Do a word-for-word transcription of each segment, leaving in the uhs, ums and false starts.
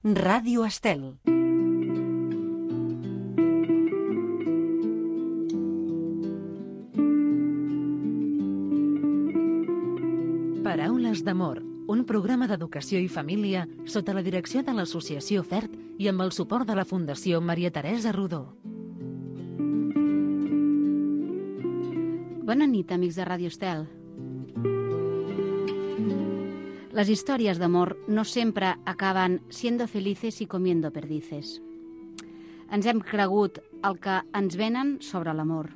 Ràdio Estel. Paraules d'amor, un programa d'educació i família sota la direcció de l'Associació FERT i amb el suport de la Fundació Maria Teresa Rodó. Bona nit, amics de Ràdio Estel. Les històries d'amor no sempre acaben siendo felices y comiendo perdices. Ens hem cregut el que ens venen sobre l'amor.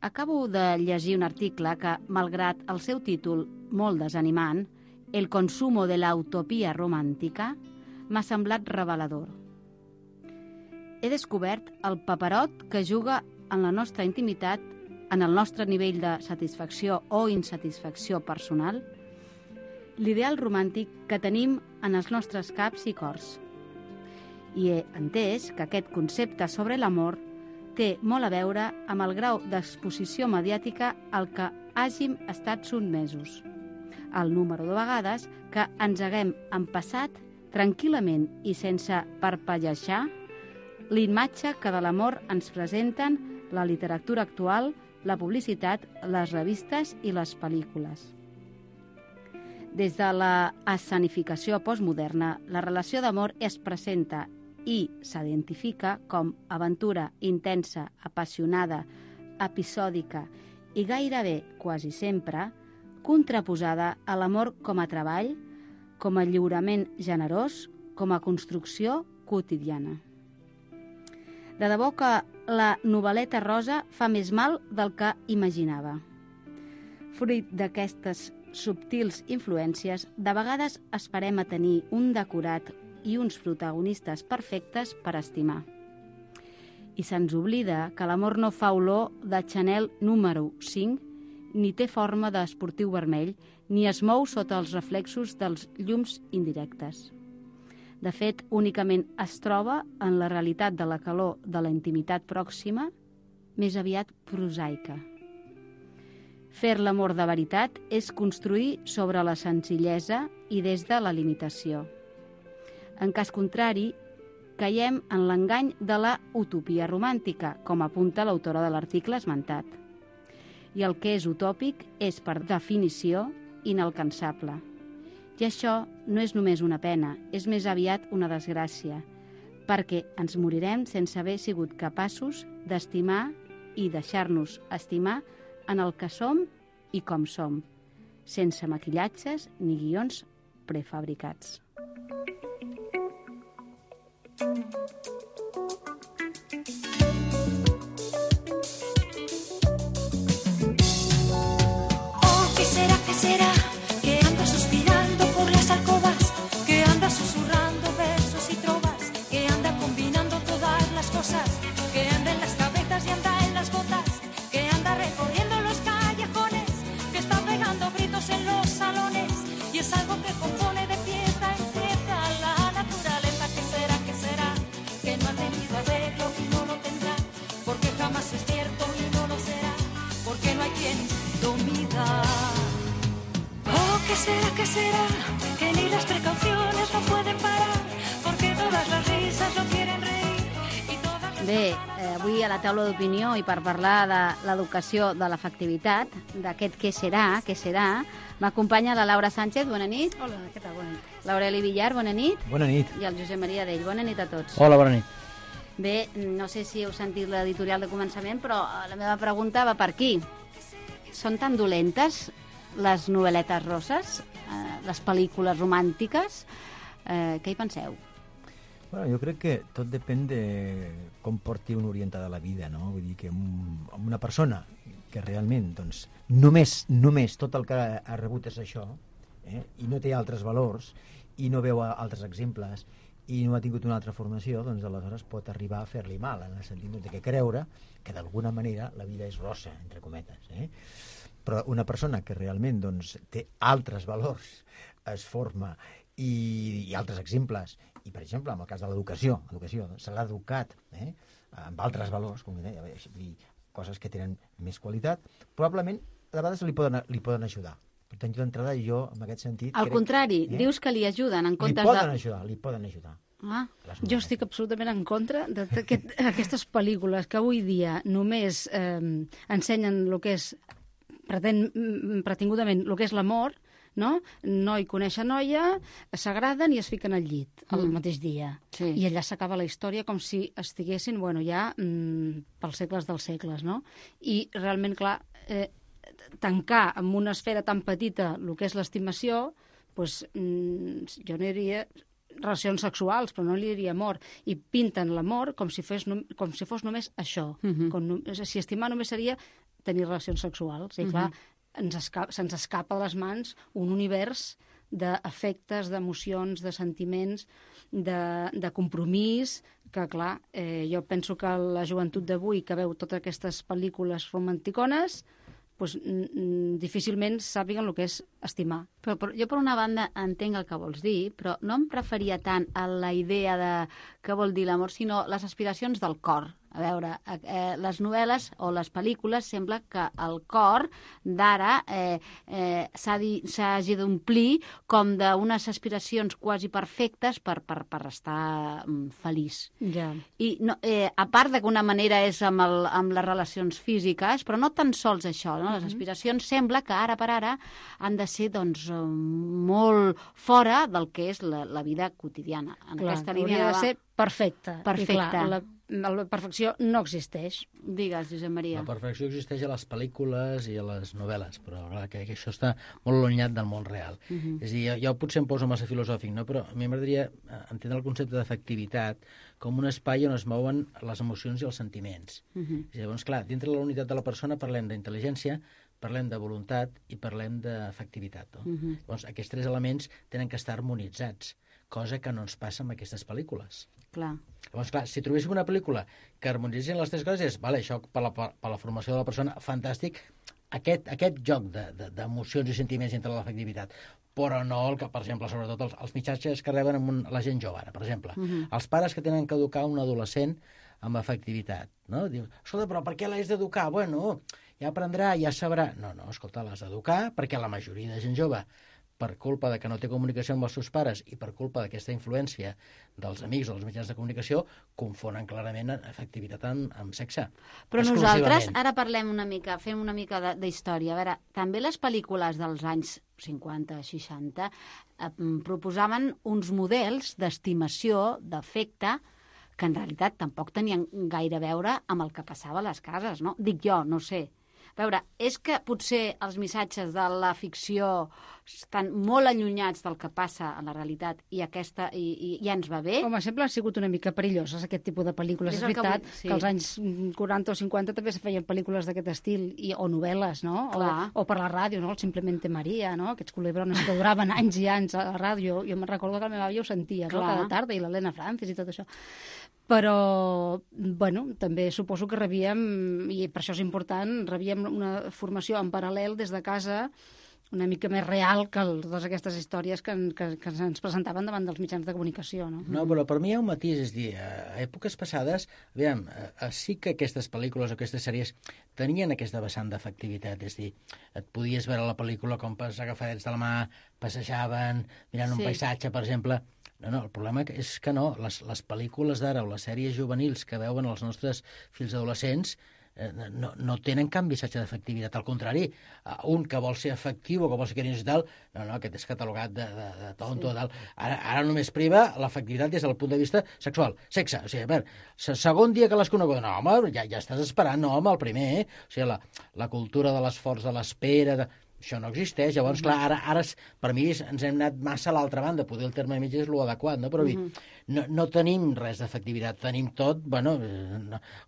Acabo de llegir un article que, malgrat el seu títol molt desanimant, El consumo de la utopia romàntica, m'ha semblat revelador. He descobert el paperot que juga en la nostra intimitat, en el nostre nivell de satisfacció o insatisfacció personal, l'ideal romàntic que tenim en els nostres caps i cors. I he entès que aquest concepte sobre l'amor té molt a veure amb el grau d'exposició mediàtica al que hàgim estat sotmesos, el número de vegades que ens haguem empassat tranquil·lament i sense parpellejar l'imatge que de l'amor ens presenten la literatura actual, la publicitat, les revistes i les pel·lícules. Des de la escenificació postmoderna, la relació d'amor es presenta i s'identifica com aventura intensa, apassionada, episòdica i gairebé, quasi sempre, contraposada a l'amor com a treball, com a lliurament generós, com a construcció quotidiana. De debò que la novel·leta rosa fa més mal del que imaginava. Fruit d'aquestes subtils influències, de vegades esperem a tenir un decorat i uns protagonistes perfectes per estimar. I se'ns oblida que l'amor no fa olor de Chanel número cinc, ni té forma d'esportiu vermell, ni es mou sota els reflexos dels llums indirectes. De fet, únicament es troba en la realitat de la calor de la intimitat pròxima, més aviat prosaica. Fer l'amor de veritat és construir sobre la senzillesa i des de la limitació. En cas contrari, caiem en l'engany de la utopia romàntica, com apunta l'autora de l'article esmentat. I el que és utòpic és, per definició, inalcançable. I això no és només una pena, és més aviat una desgràcia, perquè ens morirem sense haver sigut capaços d'estimar i deixar-nos estimar en el que som i com som, sense maquillatges ni guions prefabricats. Oh, ¿qué será, qué será? Que anda suspirando por las alcobas, que anda susurrando versos y trovas, que anda combinando todas las cosas, que anda en las cabezas y anda en las botas, que anda recorriendo los callejones, que está pegando gritos en los salones, y es algo que compone de pieza en pieza la naturaleza. ¿Qué será, qué será? Que no ha tenido arreglo y no lo tendrá, porque jamás es cierto y no lo será, porque no hay quien domina. Oh, ¿qué será, qué será? Que ni las precauciones no pueden parar, porque todas las risas lo quieren reír y todas las... Bé, eh, avui a la taula d'opinió i per parlar de l'educació de l'afectivitat, d'aquest què serà, què serà, m'acompanya la Laura Sánchez, bona nit. Hola, què tal? Bona nit. L'Aureli Villar, bona nit. Bona nit. I el Josep Maria Dell, bona nit a tots. Hola, bona nit. Bé, no sé si heu sentit l'editorial de començament, però la meva pregunta va per aquí. Són tan dolentes les novel·letes roses, eh, les pel·lícules romàntiques? Eh, què hi penseu? Bueno, jo crec que tot depèn de com porti un orientada la vida, no? Vull dir que un, una persona que realment, doncs, només, només tot el que ha rebut és això, eh? I no té altres valors, i no veu altres exemples, i no ha tingut una altra formació, doncs aleshores pot arribar a fer-li mal, en el sentit de que creure que d'alguna manera la vida és rosa, entre cometes, eh? Però una persona que realment doncs, té altres valors, es forma, i, i altres exemples, i per exemple, en el cas de l'educació, educació, se l'ha educat eh, amb altres valors, com deia, dir, coses que tenen més qualitat, probablement a vegades li poden, li poden ajudar Per tant, jo d'entrada, jo, en aquest sentit... Al crec, contrari, eh? dius que li ajuden en comptes li poden de... ajudar, li poden ajudar. Ah, Jo estic absolutament en contra d'aquestes pel·lícules que avui dia només eh, ensenyen el que és, pretén, pretingudament, el que és l'amor, no? Noi coneix a noia, s'agraden i es fiquen al llit el Mm. mateix dia. sí. I allà s'acaba la història com si estiguessin, bueno, ja mm, pels segles dels segles, no? I realment, clar, eh, tancar amb una esfera tan petita el que és l'estimació, doncs, mm, jo no diria relacions sexuals, però no li diria amor, i pinten l'amor com si fos, nom com si fos només això. Mhm. com no si estimar només seria tenir relacions sexuals. I clar, ens esca se'ns escapa de les mans un univers d'afectes, d'emocions, de sentiments, de, de compromís, que clar, eh, jo penso que la joventut d'avui que veu totes aquestes pel·lícules romanticones, pues, difícilment sàpiguen el que és estimar. Però, però jo, per una banda, entenc el que vols dir, però no em referia tant a la idea de què vol dir l'amor, sinó les aspiracions del cor. A veure, eh, les novel·les o les pel·lícules sembla que el cor d'ara eh, eh, s'hagi d'omplir com d'unes aspiracions quasi perfectes per, per, per estar mm, feliç. Ja. I no, eh, a part d'alguna manera és amb, el, amb les relacions físiques, però no tan sols això, no? Les aspiracions sembla que ara per ara han de ser doncs, molt fora del que és la, la vida quotidiana. En Clar, aquesta hauria línia de ser perfecta. Perfecta. I clar, la, la perfecció no existeix. Digues, Josep Maria. La perfecció existeix a les pel·lícules i a les novel·les, però clar, que, que això està molt allunyat del món real. Uh -huh. És a dir, jo, jo potser em poso massa filosòfic, no? Però a mi m'agradaria entendre el concepte d'efectivitat com un espai on es mouen les emocions i els sentiments. Uh -huh. És a dir, llavors, clar, dintre de la unitat de la persona parlem d'intel·ligència, parlem de voluntat i parlem d'efectivitat. No? Uh -huh. Llavors, aquests tres elements tenen que estar harmonitzats, cosa que no ens passa amb aquestes pel·lícules. Clar. Llavors, clar, si trobéssim una pel·lícula que harmonitzessin les tres coses, és, vale, això per la, per la formació de la persona, fantàstic, aquest, aquest joc d'emocions de, de, i sentiments entre l'efectivitat, però no, el que, per exemple, sobretot els, els mitjans que reben amb un, la gent jove, ara, per exemple. Uh -huh. Els pares que tenen que educar un adolescent amb efectivitat, no? Diu, escolta, però per què l'has d'educar? Bueno, ja aprendrà, ja sabrà. No, no, escolta, l'has d'educar perquè la majoria de gent jove, per culpa de que no té comunicació amb els seus pares i per culpa d'aquesta influència dels amics o dels mitjans de comunicació, confonen clarament efectivitat amb, amb sexe. Però nosaltres ara parlem una mica, fem una mica d'història. A veure, també les pel·lícules dels anys cinquanta, seixanta eh, proposaven uns models d'estimació, d'afecte, que en realitat tampoc tenien gaire a veure amb el que passava a les cases, no? Dic jo, no sé. A veure, és que potser els missatges de la ficció estan molt allunyats del que passa a la realitat i aquesta i, i ja ens va bé? Com a exemple, han sigut una mica perilloses aquest tipus de pel·lícules. És És, el que veritat vull- que, sí. que als anys quaranta o cinquanta també se feien pel·lícules d'aquest estil, i, o novel·les, no? Clar. O, o per la ràdio, no? El Simplemente Maria, no? Aquests culebrones que duraven anys i anys a la ràdio. Jo me'n recordo que la meva àvia ho sentia, no? Clar. Cada tarda, i l'Helena Francis i tot això. Però, bueno, també suposo que rebíem, i per això és important, rebíem una formació en paral·lel des de casa una mica més real que el, totes aquestes històries que, que, que ens presentaven davant dels mitjans de comunicació, no? No, però per mi hi ha un matís, és dir, a èpoques passades, aviam, eh, sí que aquestes pel·lícules o aquestes sèries tenien aquesta vessant d'efectivitat, és dir, et podies veure la pel·lícula com pas agafadets de la mà, passejaven, mirant Sí. un paisatge, per exemple. No, no, el problema és que no, les, les pel·lícules d'ara o les sèries juvenils que veuen els nostres fills adolescents eh, no, no tenen cap missatge d'efectivitat, al contrari, eh, un que vol ser efectiu o que vol ser carinyós i tal, no, no, aquest és catalogat de, de, de tonto, sí. tal. Ara, ara només priva l'efectivitat des del punt de vista sexual, sexe, o sigui, a veure, se- segon dia que l'has conegut, no, home, ja, ja estàs esperant, no, home, el primer, eh? O sigui, la, la cultura de l'esforç, de l'espera, de... això no existeix, llavors, clar, ara, ara per mi ens hem anat massa a l'altra banda, poder el terme mig és l'adequat, no? Però uh -huh. no, no tenim res d'efectivitat, tenim tot, bueno,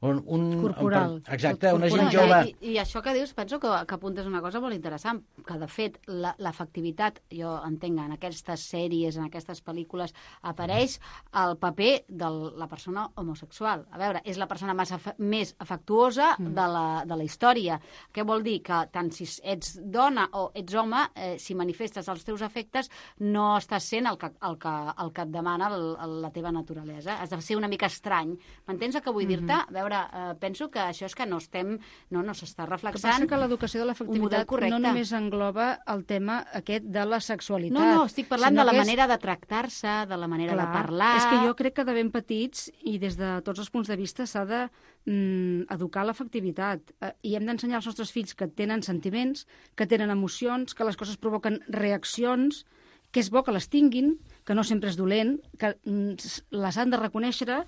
un... un Corporal. Un, exacte, una gent No, jove... I, I això que dius, penso que, que apuntes una cosa molt interessant, que de fet la- l'efectivitat, jo entenc, en aquestes sèries, en aquestes pel·lícules, apareix el paper de la persona homosexual. A veure, és la persona més, afe més afectuosa mm. de, la, de la història. Què vol dir? Que tant si ets dona o ets home, eh, si manifestes els teus afectes, no estàs sent el que, el que, el que et demana el, el, la teva naturalesa. Has de ser una mica estrany. M'entens el que vull mm-hmm. dir-te? A veure, eh, penso que això és que no estem... No, no s'està reflexant... Que passa que l'educació de l'afectivitat no només engloba el tema aquest de la sexualitat. No, no, estic parlant de la manera és... de tractar-se, de la manera Clar, de parlar... És que jo crec que de ben petits, i des de tots els punts de vista, s'ha de mm, educar l'afectivitat. Eh, I hem d'ensenyar als nostres fills que tenen sentiments, que tenen emocions, que les coses provoquen reaccions, que és bo que les tinguin, que no sempre és dolent, que mm, les han de reconèixer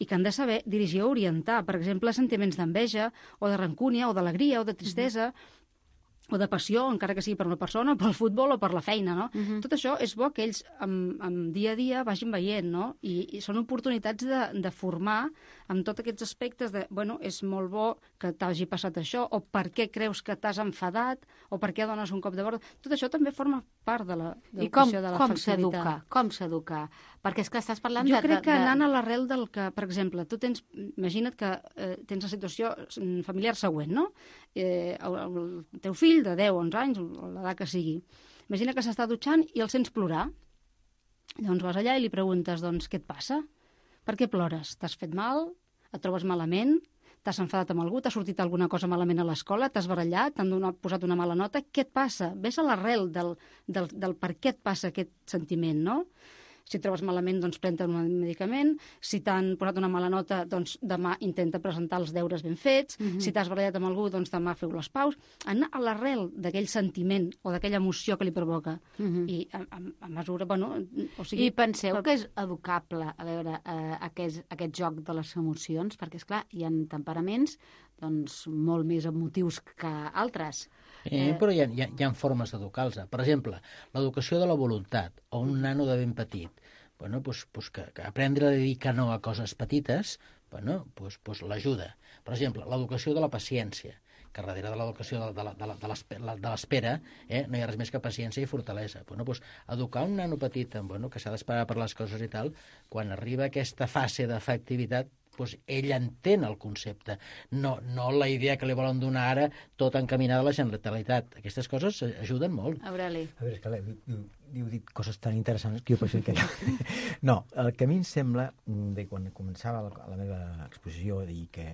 i que han de saber dirigir o orientar. Per exemple, sentiments d'enveja, o de rancúnia, o d'alegria, o de tristesa... Mm-hmm. o de passió, encara que sigui per una persona, pel futbol o per la feina, no? Uh-huh. Tot això és bo que ells, amb, amb dia a dia, vagin veient, no? I, i són oportunitats de, de formar amb tots aquests aspectes de, bueno, és molt bo que t'hagi passat això, o per què creus que t'has enfadat, o per què dones un cop de borda. Tot això també forma part de la I com, de com s'educa? Com s'educa? Perquè és que estàs parlant jo de... Jo crec que de... anant a l'arrel del que, per exemple, tu tens, imagina't que eh, tens la situació familiar següent, no? Eh, el, el teu fill de deu, onze anys, o l'edat que sigui. Imagina que s'està dutxant i el sents plorar. Llavors vas allà i li preguntes, doncs, què et passa? Per què plores? T'has fet mal? Et trobes malament? T'has enfadat amb algú? T'ha sortit alguna cosa malament a l'escola? T'has barallat? T'han donat, posat una mala nota? Què et passa? Ves a l'arrel del, del, del per què et passa aquest sentiment, no? Si et trobes malament, doncs pren-te un medicament. Si t'han posat una mala nota, doncs demà intenta presentar els deures ben fets. Mm-hmm. Si t'has barallat amb algú, doncs demà feu les paus. Anar a l'arrel d'aquell sentiment o d'aquella emoció que li provoca. Mm-hmm. I a, a, a mesura, bueno... O sigui, I penseu per... que és educable, a veure, eh, aquest, aquest joc de les emocions? Perquè, esclar, hi ha temperaments doncs, molt més emotius que altres. Eh, però hi ha, hi ha, hi ha formes d'educar-los. Per exemple, l'educació de la voluntat, o un nano de ben petit, bueno, pues, pues que, que aprendre a dir que no a coses petites, bueno, pues, pues l'ajuda. Per exemple, l'educació de la paciència, que darrere de l'educació de, de, de, de l'espera eh, no hi ha res més que paciència i fortalesa. Bueno, pues, educar un nano petit bueno, que s'ha d'esperar per les coses i tal, quan arriba aquesta fase d'afectivitat, doncs ell entén el concepte, no, no la idea que li volen donar ara tot encaminada a la generalitat. Aquestes coses ajuden molt. Aureli. A veure, és que diu, diu dit coses tan interessants que jo penso que... No, el que a mi em sembla, de quan començava la, la meva exposició, dir que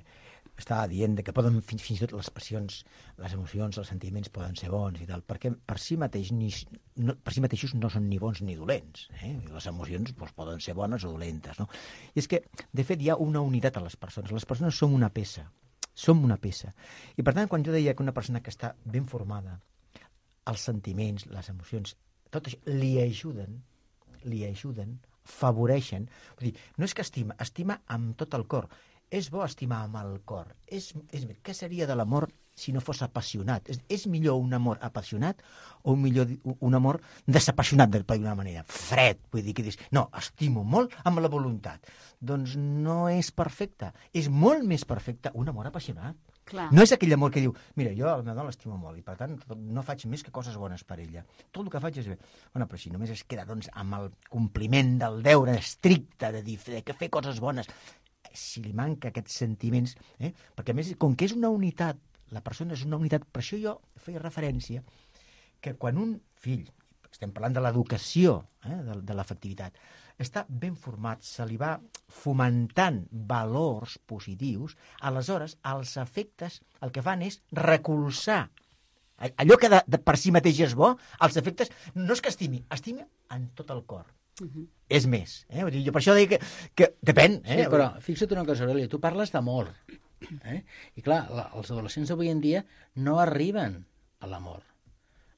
estava dient que poden, fins, fins i tot les passions, les emocions, els sentiments poden ser bons i tal, perquè per si, mateix, ni, no, per si mateixos no són ni bons ni dolents. Eh? Les emocions doncs, poden ser bones o dolentes. No? I és que, de fet, hi ha una unitat a les persones. Les persones som una peça. Som una peça. I, per tant, quan jo deia que una persona que està ben formada, els sentiments, les emocions, tot això, li ajuden, li ajuden, favoreixen. Vull dir, no és que estima, estima amb tot el cor. És bo estimar amb el cor. És, és, què seria de l'amor si no fos apassionat? És, és millor un amor apassionat o un, millor, un amor desapassionat, d'una manera? Fred, vull dir que dius, no, estimo molt amb la voluntat. Doncs no és perfecte. És molt més perfecte un amor apassionat. Clar. No és aquell amor que diu, mira, jo a la meva dona l'estimo molt i per tant no faig més que coses bones per ella. Tot el que faig és bé. Bueno, però si només es queda doncs, amb el compliment del deure estricte de dir de que fer coses bones, si li manca aquests sentiments, eh? Perquè a més, com que és una unitat, la persona és una unitat, per això jo feia referència que quan un fill, estem parlant de l'educació, eh? de, de l'afectivitat, està ben format, se li va fomentant valors positius, aleshores els efectes el que fan és recolzar allò que de, de per si mateix és bo, els efectes no és que estimi, estimi en tot el cor. Uh-huh. És més. Eh? Vull dir, jo per això dic que, que depèn. Eh? Sí, però fixa't una cosa, Aurelia, tu parles d'amor. Eh? I clar, la, els adolescents d'avui en dia no arriben a l'amor.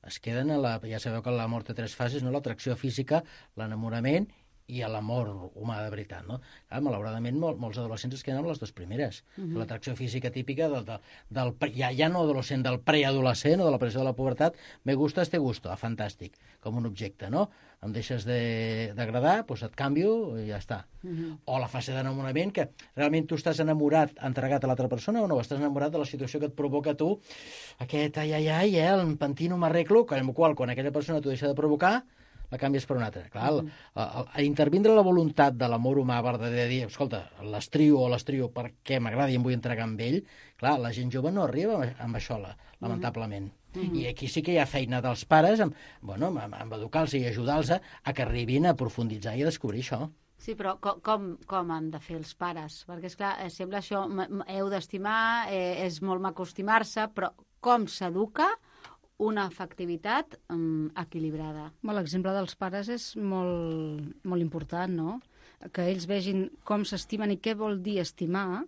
Es queden a la... Ja sabeu que l'amor té tres fases, no? L'atracció física, l'enamorament i a l'amor humà de veritat, no? Clar, malauradament, mol, molts adolescents es queden amb les dues primeres. Uh-huh. L'atracció física típica del, del, del ja, ja no adolescent, del preadolescent o de la pressió de la pubertat, me gustas, te gusto, ah, fantàstic, com un objecte, no? Em deixes d'agradar, doncs et canvio i ja està. Uh-huh. O la fase d'enamorament, que realment tu estàs enamorat, entregat a l'altra persona, o no, estàs enamorat de la situació que et provoca tu, aquest ai, ai, ai, eh, em pentino, m'arreglo, amb el qual, quan aquella persona t'ho deixa de provocar, la canvies per una altra. Clar, el, el, el, intervindre la voluntat de l'amor humà verdader de dir, escolta, l'estrio o l'estrio perquè m'agrada i em vull entregar amb ell, clar, la gent jove no arriba amb això, la, lamentablement. Mm-hmm. I aquí sí que hi ha feina dels pares amb, bueno, amb, amb educar-los i ajudar-los a, a que arribin a profunditzar i a descobrir això. Sí, però com, com, com han de fer els pares? Perquè, esclar, sembla això, heu d'estimar, eh, és molt maco estimar-se, però com s'educa una afectivitat um, equilibrada? Bueno, l'exemple dels pares és molt, molt important, no? Que ells vegin com s'estimen i què vol dir estimar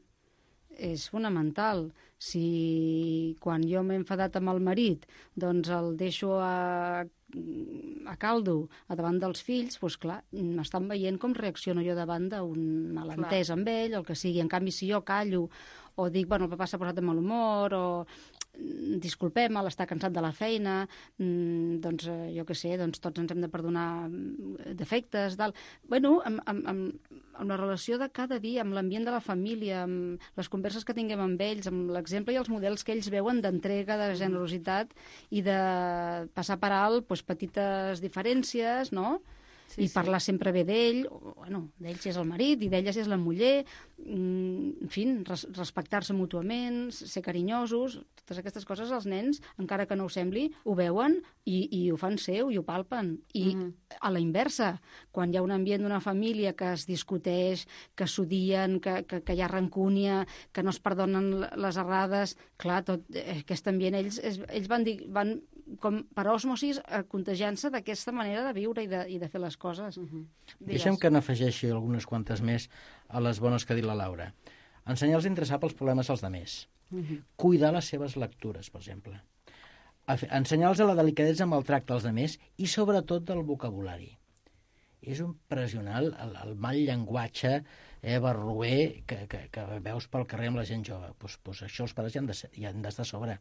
és fonamental. Si quan jo m'he enfadat amb el marit, doncs el deixo a, a caldo a davant dels fills, doncs clar, m'estan veient com reacciono jo davant d'un malentès amb ell, o el que sigui. En canvi, si jo callo o dic, bueno, el papà s'ha posat de mal humor, o disculpem-me, està cansat de la feina, mm, doncs eh, jo què sé, doncs tots ens hem de perdonar defectes, tal. Bueno, amb, amb, amb, amb la relació de cada dia, amb l'ambient de la família, amb les converses que tinguem amb ells, amb l'exemple i els models que ells veuen d'entrega, de generositat i de passar per alt doncs, petites diferències, no? Sí, i sí. Parlar sempre bé d'ell, bueno, d'ell si és el marit i d'ella si és la muller, en fi, res, respectar-se mútuament, ser carinyosos, totes aquestes coses els nens, encara que no ho sembli, ho veuen i, i ho fan seu i ho palpen. I mm-hmm. a la inversa, quan hi ha un ambient d'una família que es discuteix, que s'odien, que, que, que hi ha rancúnia, que no es perdonen les errades, clar, tot aquest ambient, ells, ells van dir... Van, com per osmosis, contagiant-se d'aquesta manera de viure i de, i de fer les coses. Uh-huh. Deixa'm que n'afegeixi algunes quantes més a les bones que ha dit la Laura. Ensenyar-los a interessar pels problemes dels altres. Uh-huh. Cuidar les seves lectures, per exemple. Ensenyar-los a la delicadesa amb el tracte als altres i, sobretot, del vocabulari. És impressionant el, el mal llenguatge eh, barroer que, que, que veus pel carrer amb la gent jove. Pues, pues això els pares hi han d'estar de, a sobre.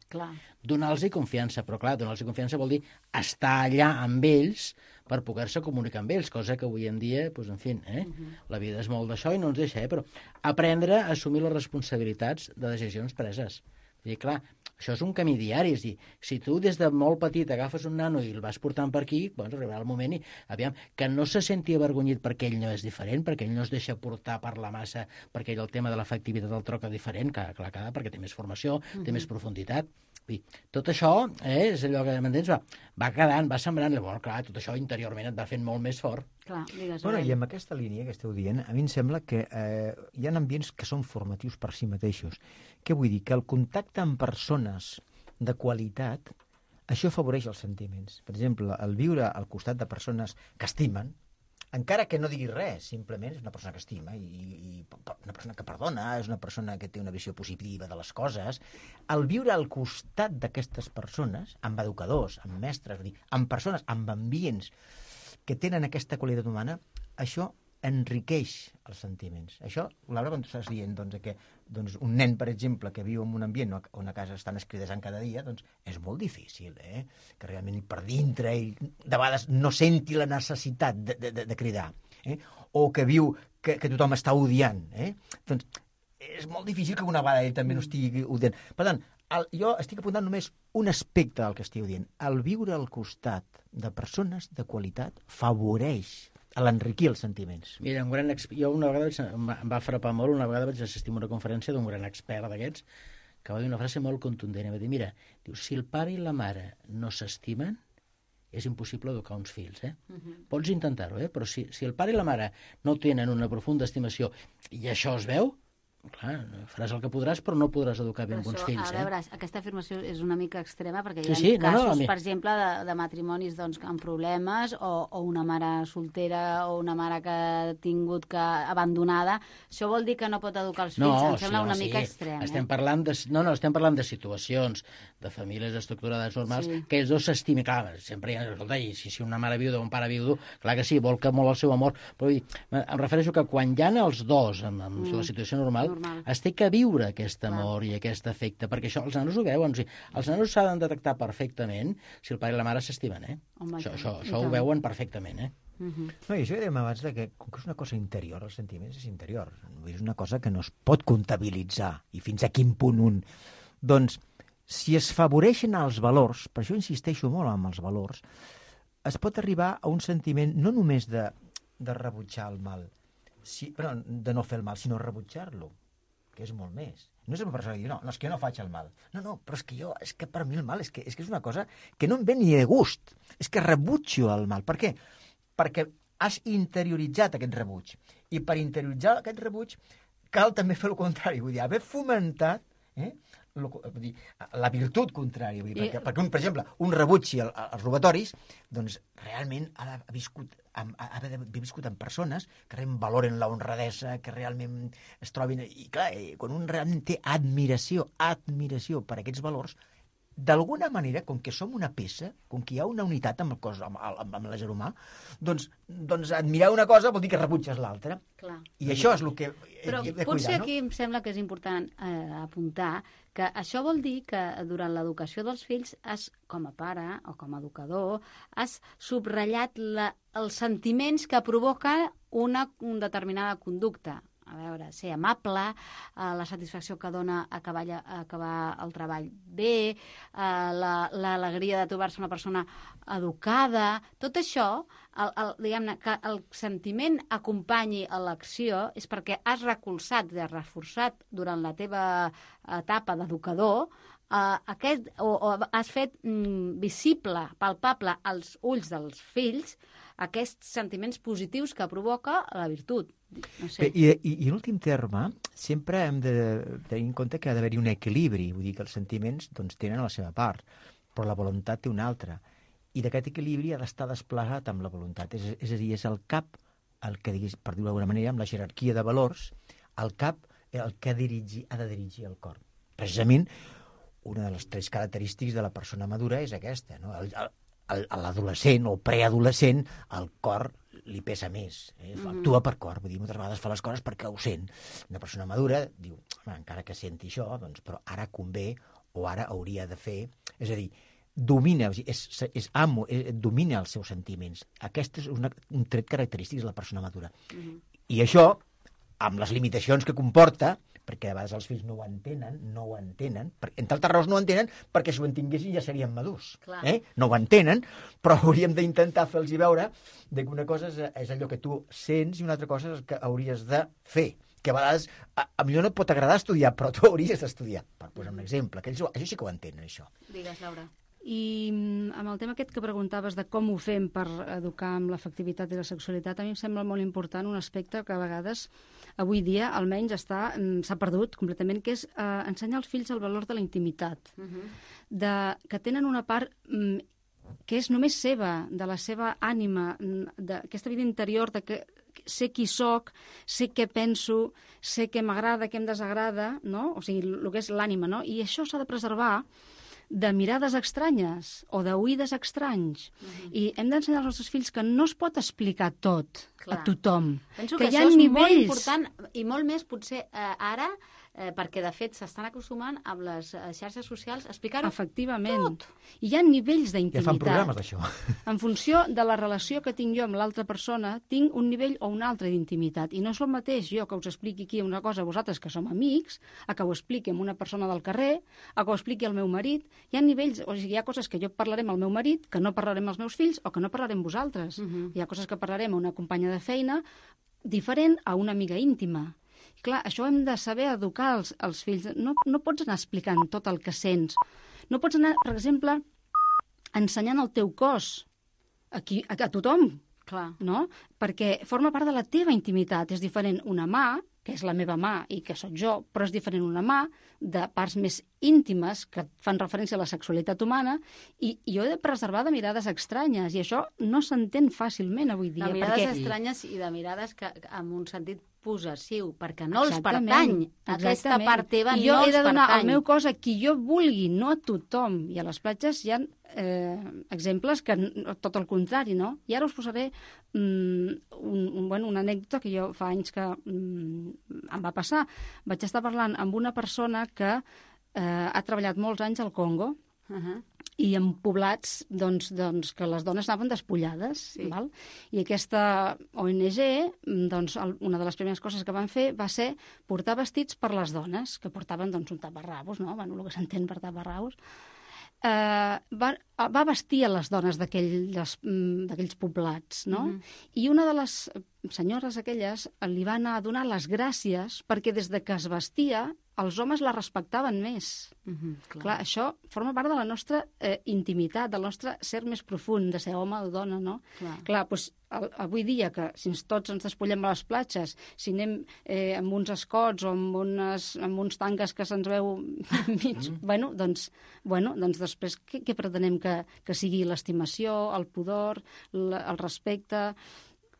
Donar-los confiança, però clar, donar-los confiança vol dir estar allà amb ells per poder-se comunicar amb ells, cosa que avui en dia, pues, en fi, eh, uh-huh. la vida és molt d'això i no ens deixa, eh, però aprendre a assumir les responsabilitats de decisions preses. I clar, això és un camí diari, és dir, si tu des de molt petit agafes un nano i el vas portant per aquí, doncs arribarà el moment i, aviam, que no se senti avergonyit perquè ell no és diferent, perquè ell no es deixa portar per la massa, perquè ell el tema de l'efectivitat el troca diferent, clar, clar, clar, perquè té més formació, uh-huh. té més profunditat. I tot això, eh, és allò que, m'entens, va, va quedant, va sembrant, bueno, clar, tot això interiorment et va fent molt més fort. Clar, digues, bueno, i amb aquesta línia que esteu dient, a mi em sembla que eh, hi ha ambients que són formatius per si mateixos. Què vull dir? Que el contacte amb persones de qualitat, això afavoreix els sentiments. Per exemple, el viure al costat de persones que estimen, encara que no digui res, simplement és una persona que estima, i, i una persona que perdona, és una persona que té una visió positiva de les coses. El viure al costat d'aquestes persones, amb educadors, amb mestres, amb persones, amb ambients que tenen aquesta qualitat humana, això enriqueix els sentiments. Això, Laura, quan estàs dient doncs, que doncs, un nen, per exemple, que viu en un ambient on a casa estan escridesant cada dia, doncs és molt difícil, eh? Que realment per dintre ell de vegades no senti la necessitat de, de, de cridar, eh? O que viu que, que tothom està odiant, eh? Doncs és molt difícil que una vegada ell també no estigui odiant. Per tant, el, jo estic apuntant només un aspecte del que estic dient. El viure al costat de persones de qualitat favoreix a l'enriquir els sentiments. Mira, un gran exp... jo una vegada em va frapar molt, una vegada vaig assistir a una conferència d'un gran expert d'aquests que va dir una frase molt contundent. Va dir, mira, diu, si el pare i la mare no s'estimen, és impossible educar uns fills, eh? Uh-huh. Pots intentar-ho, eh? Però si, si el pare i la mare no tenen una profunda estimació i això es veu, clar, faràs el que podràs, però no podràs educar bé amb uns fills. A veure, eh? Aquesta afirmació és una mica extrema, perquè sí, hi ha sí, casos, no, no, per exemple, de, de matrimonis doncs, amb problemes, o, o una mare soltera, o una mare que ha tingut que abandonada. Això vol dir que no pot educar els fills? No, em sembla sí, una sí. mica extrem. Estem eh? parlant de, no, no, estem parlant de situacions de famílies estructurades normals, sí. Que ells dos s'estimin. Clar, sempre hi ha, escolta, i si, si una mare viuda o un pare viudo, clar que sí, vol que molt el seu amor, però em refereixo que quan hi ha els dos en, en mm. la situació normal, normal. es té que viure aquest amor i aquest afecte, perquè això els nanos ho veuen. O sigui, els nanos s'han de detectar perfectament si el pare i la mare s'estimen, eh? Home, això això, això ho veuen perfectament, eh? Uh-huh. No, i això ja dèiem abans que, com que és una cosa interior, els sentiments és interior, és una cosa que no es pot comptabilitzar, i fins a quin punt un... Doncs, si es favoreixen els valors, per això insisteixo molt amb els valors, es pot arribar a un sentiment no només de, de rebutjar el mal, si, però de no fer el mal, sinó rebutjar-lo, que és molt més. No és una persona que diu, no, no, és que jo no faig el mal. No, no, però és que jo, és que per mi el mal és que és, que és una cosa que no em ve ni de gust. És que rebutjo el mal. Per què? Perquè has interioritzat aquest rebuig. I per interioritzar aquest rebuig cal també fer el contrari. Vull dir, haver fomentat eh, lo, vull dir, la virtut contrària. Vull dir, I... perquè, perquè un, per exemple, un rebuig als robatoris, doncs realment ha, ha viscut amb, ha d'haver viscut amb persones que realment valoren la honradesa, que realment es trobin... I clar, quan un realment té admiració, admiració per aquests valors, d'alguna manera, com que som una peça, com que hi ha una unitat amb el cos, amb, amb, amb l'ésser humà, doncs, doncs admirar una cosa vol dir que rebutges l'altra. I això és el que Però he de cuidar, potser no? aquí em sembla que és important eh, apuntar que això vol dir que durant l'educació dels fills, has, com a pare o com a educador, has subratllat la, els sentiments que provoca una, una determinada conducta. A veure, ser amable, eh, la satisfacció que dona acabar, acabar el treball bé, eh, l'alegria la, de trobar-se una persona educada, tot això, el, el, diguem-ne, que el sentiment acompanyi a l'acció és perquè has recolzat, has reforçat durant la teva etapa d'educador eh, aquest, o, o has fet mm, visible, palpable als ulls dels fills aquests sentiments positius que provoca la virtut. No sé. I, i, i en últim terme, sempre hem de tenir en compte que ha d'haver-hi un equilibri, vull dir que els sentiments doncs, tenen la seva part, però la voluntat té una altra. I d'aquest equilibri ha d'estar desplegat amb la voluntat. És, és a dir, és el cap, el que diguis, per dir-ho d'alguna manera, amb la jerarquia de valors, el cap el que dirigi, ha de dirigir el cor. Precisament, una de les tres característiques de la persona madura és aquesta, no? El, el, l'adolescent o preadolescent, el cor li pesa més, eh? Actua per cor, vull dir, moltes vegades fa les coses perquè ho sent. Una persona madura diu, encara que senti això, doncs, però ara convé o ara hauria de fer, és a dir, domina, és, és amo, és, domina els seus sentiments. Aquest és una, un tret característic de la persona madura. Uh-huh. I això, amb les limitacions que comporta, perquè a vegades els fills no ho entenen, no ho entenen, per, entre altres raons no ho entenen, perquè si ho entenguessin ja serien madurs. Eh? No ho entenen, però hauríem d'intentar fer-los veure que una cosa és, és allò que tu sents i una altra cosa és el que hauries de fer. Que a vegades, a, a millor no et pot agradar estudiar, però tu hauries d'estudiar, per posar un exemple. Que ells, això sí que ho entenen, això. Digues, Laura. I amb el tema aquest que preguntaves de com ho fem per educar amb l'afectivitat i la sexualitat, a mi em sembla molt important un aspecte que a vegades, avui dia, almenys està, s'ha perdut completament, que és eh, ensenyar als fills el valor de la intimitat, uh-huh. de, que tenen una part mm, que és només seva, de la seva ànima, d'aquesta vida interior, de que sé qui sóc, sé què penso, sé què m'agrada, què em desagrada, no? O sigui, el que és l'ànima, no? I això s'ha de preservar de mirades estranyes o d'oïdes estranys. Uh-huh. I hem d'ensenyar als nostres fills que no es pot explicar tot Clar. A tothom. Penso que, que això és nivells... molt important i molt més potser eh, ara, eh, perquè de fet s'estan acostumant amb les eh, xarxes socials a explicar-ho Efectivament. tot. I hi ha nivells d'intimitat. Ja fan programes d'això. En funció de la relació que tinc jo amb l'altra persona, tinc un nivell o un altre d'intimitat. I no és el mateix jo que us expliqui aquí una cosa a vosaltres que som amics, a que ho expliqui amb una persona del carrer, a que ho expliqui al meu marit. Hi ha nivells, o sigui, hi ha coses que jo parlaré amb el meu marit, que no parlaré amb els meus fills o que no parlaré amb vosaltres. Uh-huh. Hi ha coses que parlaré amb una companya de feina diferent a una amiga íntima. I clar, això hem de saber educar els, els fills. No, no pots anar explicant tot el que sents. No pots anar, per exemple, ensenyant el teu cos a, qui, a, a tothom, clar. No? Perquè forma part de la teva intimitat. És diferent una mà, que és la meva mà i que sóc jo, però és diferent una mà de parts més íntimes que fan referència a la sexualitat humana i, i jo he de preservar de mirades estranyes i això no s'entén fàcilment avui dia. De mirades perquè... estranyes i de mirades que, amb un sentit possessiu, perquè no Exactament. els pertany. Aquesta Exactament. part teva I jo no he de els donar pertany. el meu cos a qui jo vulgui, no a tothom. I a les platges hi ha eh, exemples que tot el contrari, no? I ara us posaré mm, un, un, bueno, una anècdota que jo fa anys que mm, em va passar. Vaig estar parlant amb una persona que eh, ha treballat molts anys al Congo, Uh-huh. i en poblats doncs, doncs, que les dones anaven despullades. Sí. Val? I aquesta O N G, doncs, el, una de les primeres coses que van fer va ser portar vestits per les dones, que portaven doncs, un taparrabos, no? Bueno, el que s'entén per taparrabos. eh, va, va vestir a les dones d'aquells d'aquells poblats, no? Mhm. I una de les senyores aquelles li va anar a donar les gràcies perquè des de que es vestia els homes la respectaven més. Mhm, Clar. Clar, això forma part de la nostra eh, intimitat, del nostre ser més profund, de ser home o dona, no? Clar. Clar, doncs, el, avui dia, que si ens tots ens despullem a les platges, si anem eh, amb uns escots o amb, unes, amb uns tanques que se'ns veu mig, mm. bueno, doncs, bueno, doncs després què, què pretenem que, que sigui l'estimació, el pudor, la, el respecte...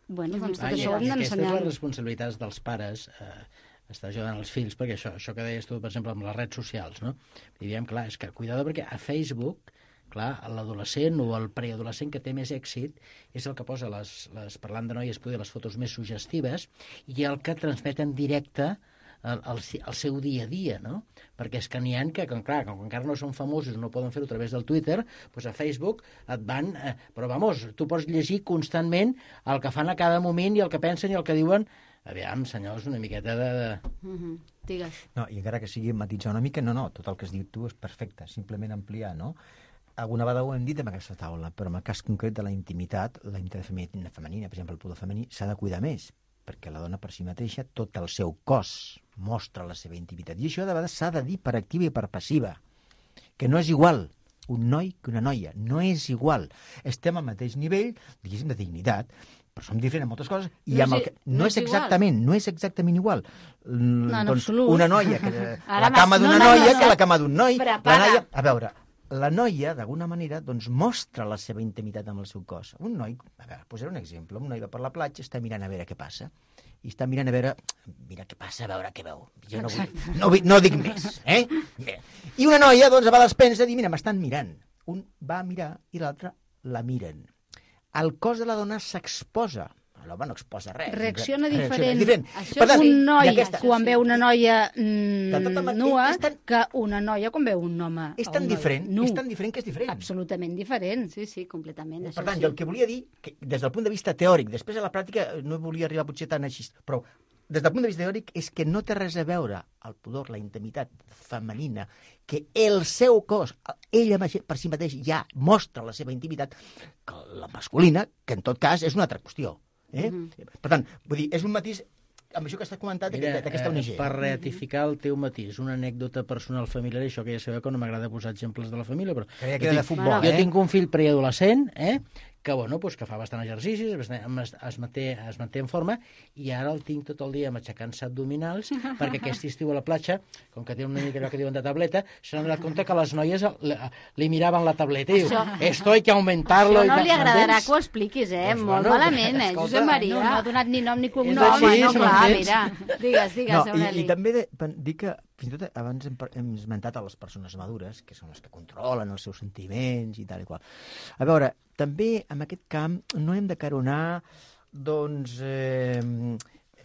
Bueno, doncs tot Ah, i, això ho hem i aquestes d'ensenyar. les responsabilitats dels pares... Eh, estar ajudant els fills, perquè això, això que deies tu, per exemple, amb les redes socials, no? I diem, clar, és que cuidado perquè a Facebook, clar, l'adolescent o el preadolescent que té més èxit és el que posa, les, les parlant de noies, poder les fotos més suggestives i el que transmet en directe el, el, el seu dia a dia, no? Perquè és que n'hi ha que, com, clar, com encara no són famosos, no poden fer-ho a través del Twitter, doncs a Facebook et van... Eh, però, vamos, tu pots llegir constantment el que fan a cada moment i el que pensen i el que diuen. Aviam, senyors, una miqueta de... Mm -hmm. Digues. No, i encara que sigui matitzar una mica, no, no, tot el que has dit tu és perfecte, simplement ampliar, no? Alguna vegada ho hem dit en aquesta taula, però en el cas concret de la intimitat, la intimitat femenina, femenina per exemple, el pudor femení, s'ha de cuidar més, perquè la dona per si mateixa, tot el seu cos mostra la seva intimitat. I això de vegades s'ha de dir per activa i per passiva, que no és igual un noi que una noia, no és igual. Estem al mateix nivell, diguéssim, de dignitat, però som diferents en moltes coses i No amb és el que, i- no, no és és igual. exactament, no és exactament igual. Mm, en doncs absolut. una noia que Ara la m'has- cama d'una no, no, noia no, que no. la cama d'un noi. Prepara. La noia, a veure, la noia, d'alguna manera, doncs mostra la seva intimitat amb el seu cos. Un noi, a veure, posaré un exemple, un noi va per la platja, està mirant a veure què passa, i està mirant a veure, mira què passa, a veure què veu. Jo no, vull, no, vull, no dic més, eh? Bé. I una noia, doncs, a vegades pensa, dir, mira, m'estan mirant. Un va a mirar i l'altre la miren. El cos de la dona s'exposa. L'home no exposa res. Reacciona Reacciona diferent. diferent. Això Per tant, sí. Un noi i aquesta- quan veu una noia De tota mm, manera, nua és tan- que una noia quan veu un home. És o tan un noi diferent, nu. és tan diferent que és diferent. Absolutament diferent. Sí, sí, completament. Per això tant, sí. jo el que volia dir, que des del punt de vista teòric, després a la pràctica no volia arribar potser tan així, però des del punt de vista teòric és que no té res a veure el pudor, la intimitat femenina, que el seu cos, ella per si mateix ja mostra la seva intimitat, que la masculina, que en tot cas és una altra qüestió. Eh? Mhm. Per tant, vull dir, és un matís amb això que estàs comentant Mira, d'aquesta O N G. eh, per ratificar el teu matís, una anècdota personal familiar, això que ja sabeu que no m'agrada posar exemples de la família, però... Creia jo que era de tinc- futbol, Jo eh? tinc un fill preadolescent, eh? que, bueno, pues, que fa bastant exercicis, es, es, manté, es manté en forma, i ara el tinc tot el dia matxacant-se abdominals, perquè aquest estiu a la platja, com que té una mica allò que diuen de tableta, s'han donat compte que les noies li, li miraven la tableta i diu, esto hay que aumentarlo. Això no i li tal, agradarà m'entens? que ho expliquis, eh? Doncs, Molt bueno, malament, eh, escolta, Josep Maria. No, no ha donat ni nom ni És cognom. No, home, així, no, se clar, m'entens? mira. Digues, digues, No, i, Aureli. i també de, dir que, fins i tot, abans hem, par- hem esmentat a les persones madures, que són les que controlen els seus sentiments i tal i qual. A veure, també en aquest camp no hem de caronar, doncs, eh,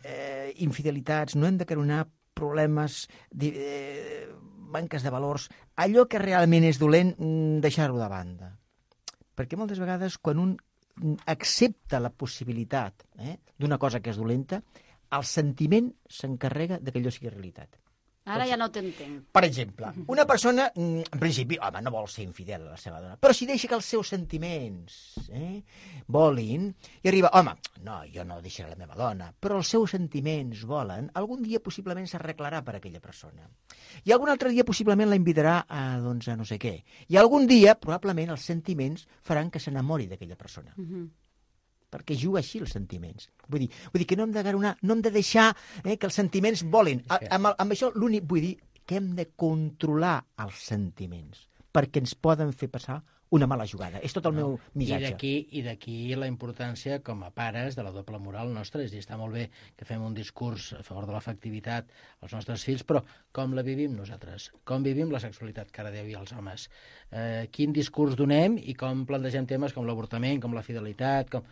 eh, infidelitats, no hem de caronar problemes, di- eh, manques de valors, allò que realment és dolent, mm, deixar-ho de banda. Perquè moltes vegades, quan un mm, accepta la possibilitat eh, d'una cosa que és dolenta, el sentiment s'encarrega de que allò sigui realitat. Ara ja no t'entenc. Per exemple, una persona, mm, en principi, home, no vol ser infidel a la seva dona, però si deixa que els seus sentiments eh, volin, i arriba, home, no, jo no deixaré la meva dona, però els seus sentiments volen, algun dia possiblement s'arreglarà per aquella persona. I algun altre dia possiblement la invitarà a, doncs, a no sé què. I algun dia, probablement, els sentiments faran que s'enamori d'aquella persona. Uh -huh. Perquè juga així els sentiments. Vull dir, vull dir que no hem de garonar, no hem de deixar eh, que els sentiments volin. A, amb, el- amb això l'únic, vull dir, que hem de controlar els sentiments, perquè ens poden fer passar una mala jugada. És tot el meu I missatge. d'aquí i d'aquí la importància com a pares de la doble moral nostra. És a dir, està molt bé que fem un discurs a favor de l'afectivitat als nostres fills, però com la vivim nosaltres? Com vivim la sexualitat cada dia i els homes? Eh, quin discurs donem i com plantegem temes com l'avortament, com la fidelitat, com...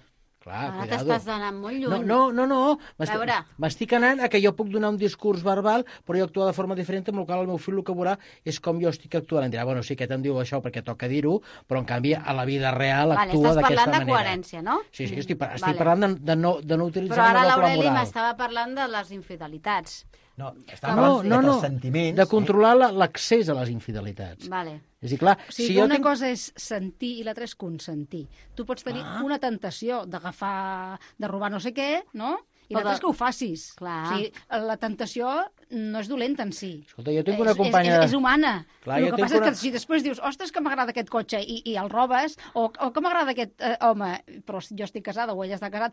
Clar, Ara cuidado. t'estàs anant molt lluny. No, no, no, no. M'estic- veure. M'estic anant a que jo puc donar un discurs verbal, però jo actuar de forma diferent, amb el qual el meu fill el que veurà és com jo estic actuant. Em dirà, bueno, sí, aquest em diu això perquè toca dir-ho, però en canvi a la vida real Vale, actua estàs d'aquesta parlant manera. de coherència, no? Sí, sí, estic, par- estic Vale. parlant de, de, no, de no utilitzar Però ara una doble l'Aureli moral. m'estava parlant de les infidelitats. No, No, estava no, parlant no, de que no, els sentiments... de controlar la- l'accés a les infidelitats. Vale. És a dir, clar, O sigui, si que jo una tinc... cosa és sentir i l'altra és consentir. Tu pots tenir Ah. una tentació d'agafar, de robar no sé què, no? I O l'altra de- és que ho facis. Clar. O sigui, la tentació no és dolenta en si. Escolta, jo tinc una És- companya... És, és, és humana. Clar, el jo que tinc passa una- és que si després dius, ostres, que m'agrada aquest cotxe i, i el robes, o, o que m'agrada aquest eh, home, però jo estic casada o ella està casat,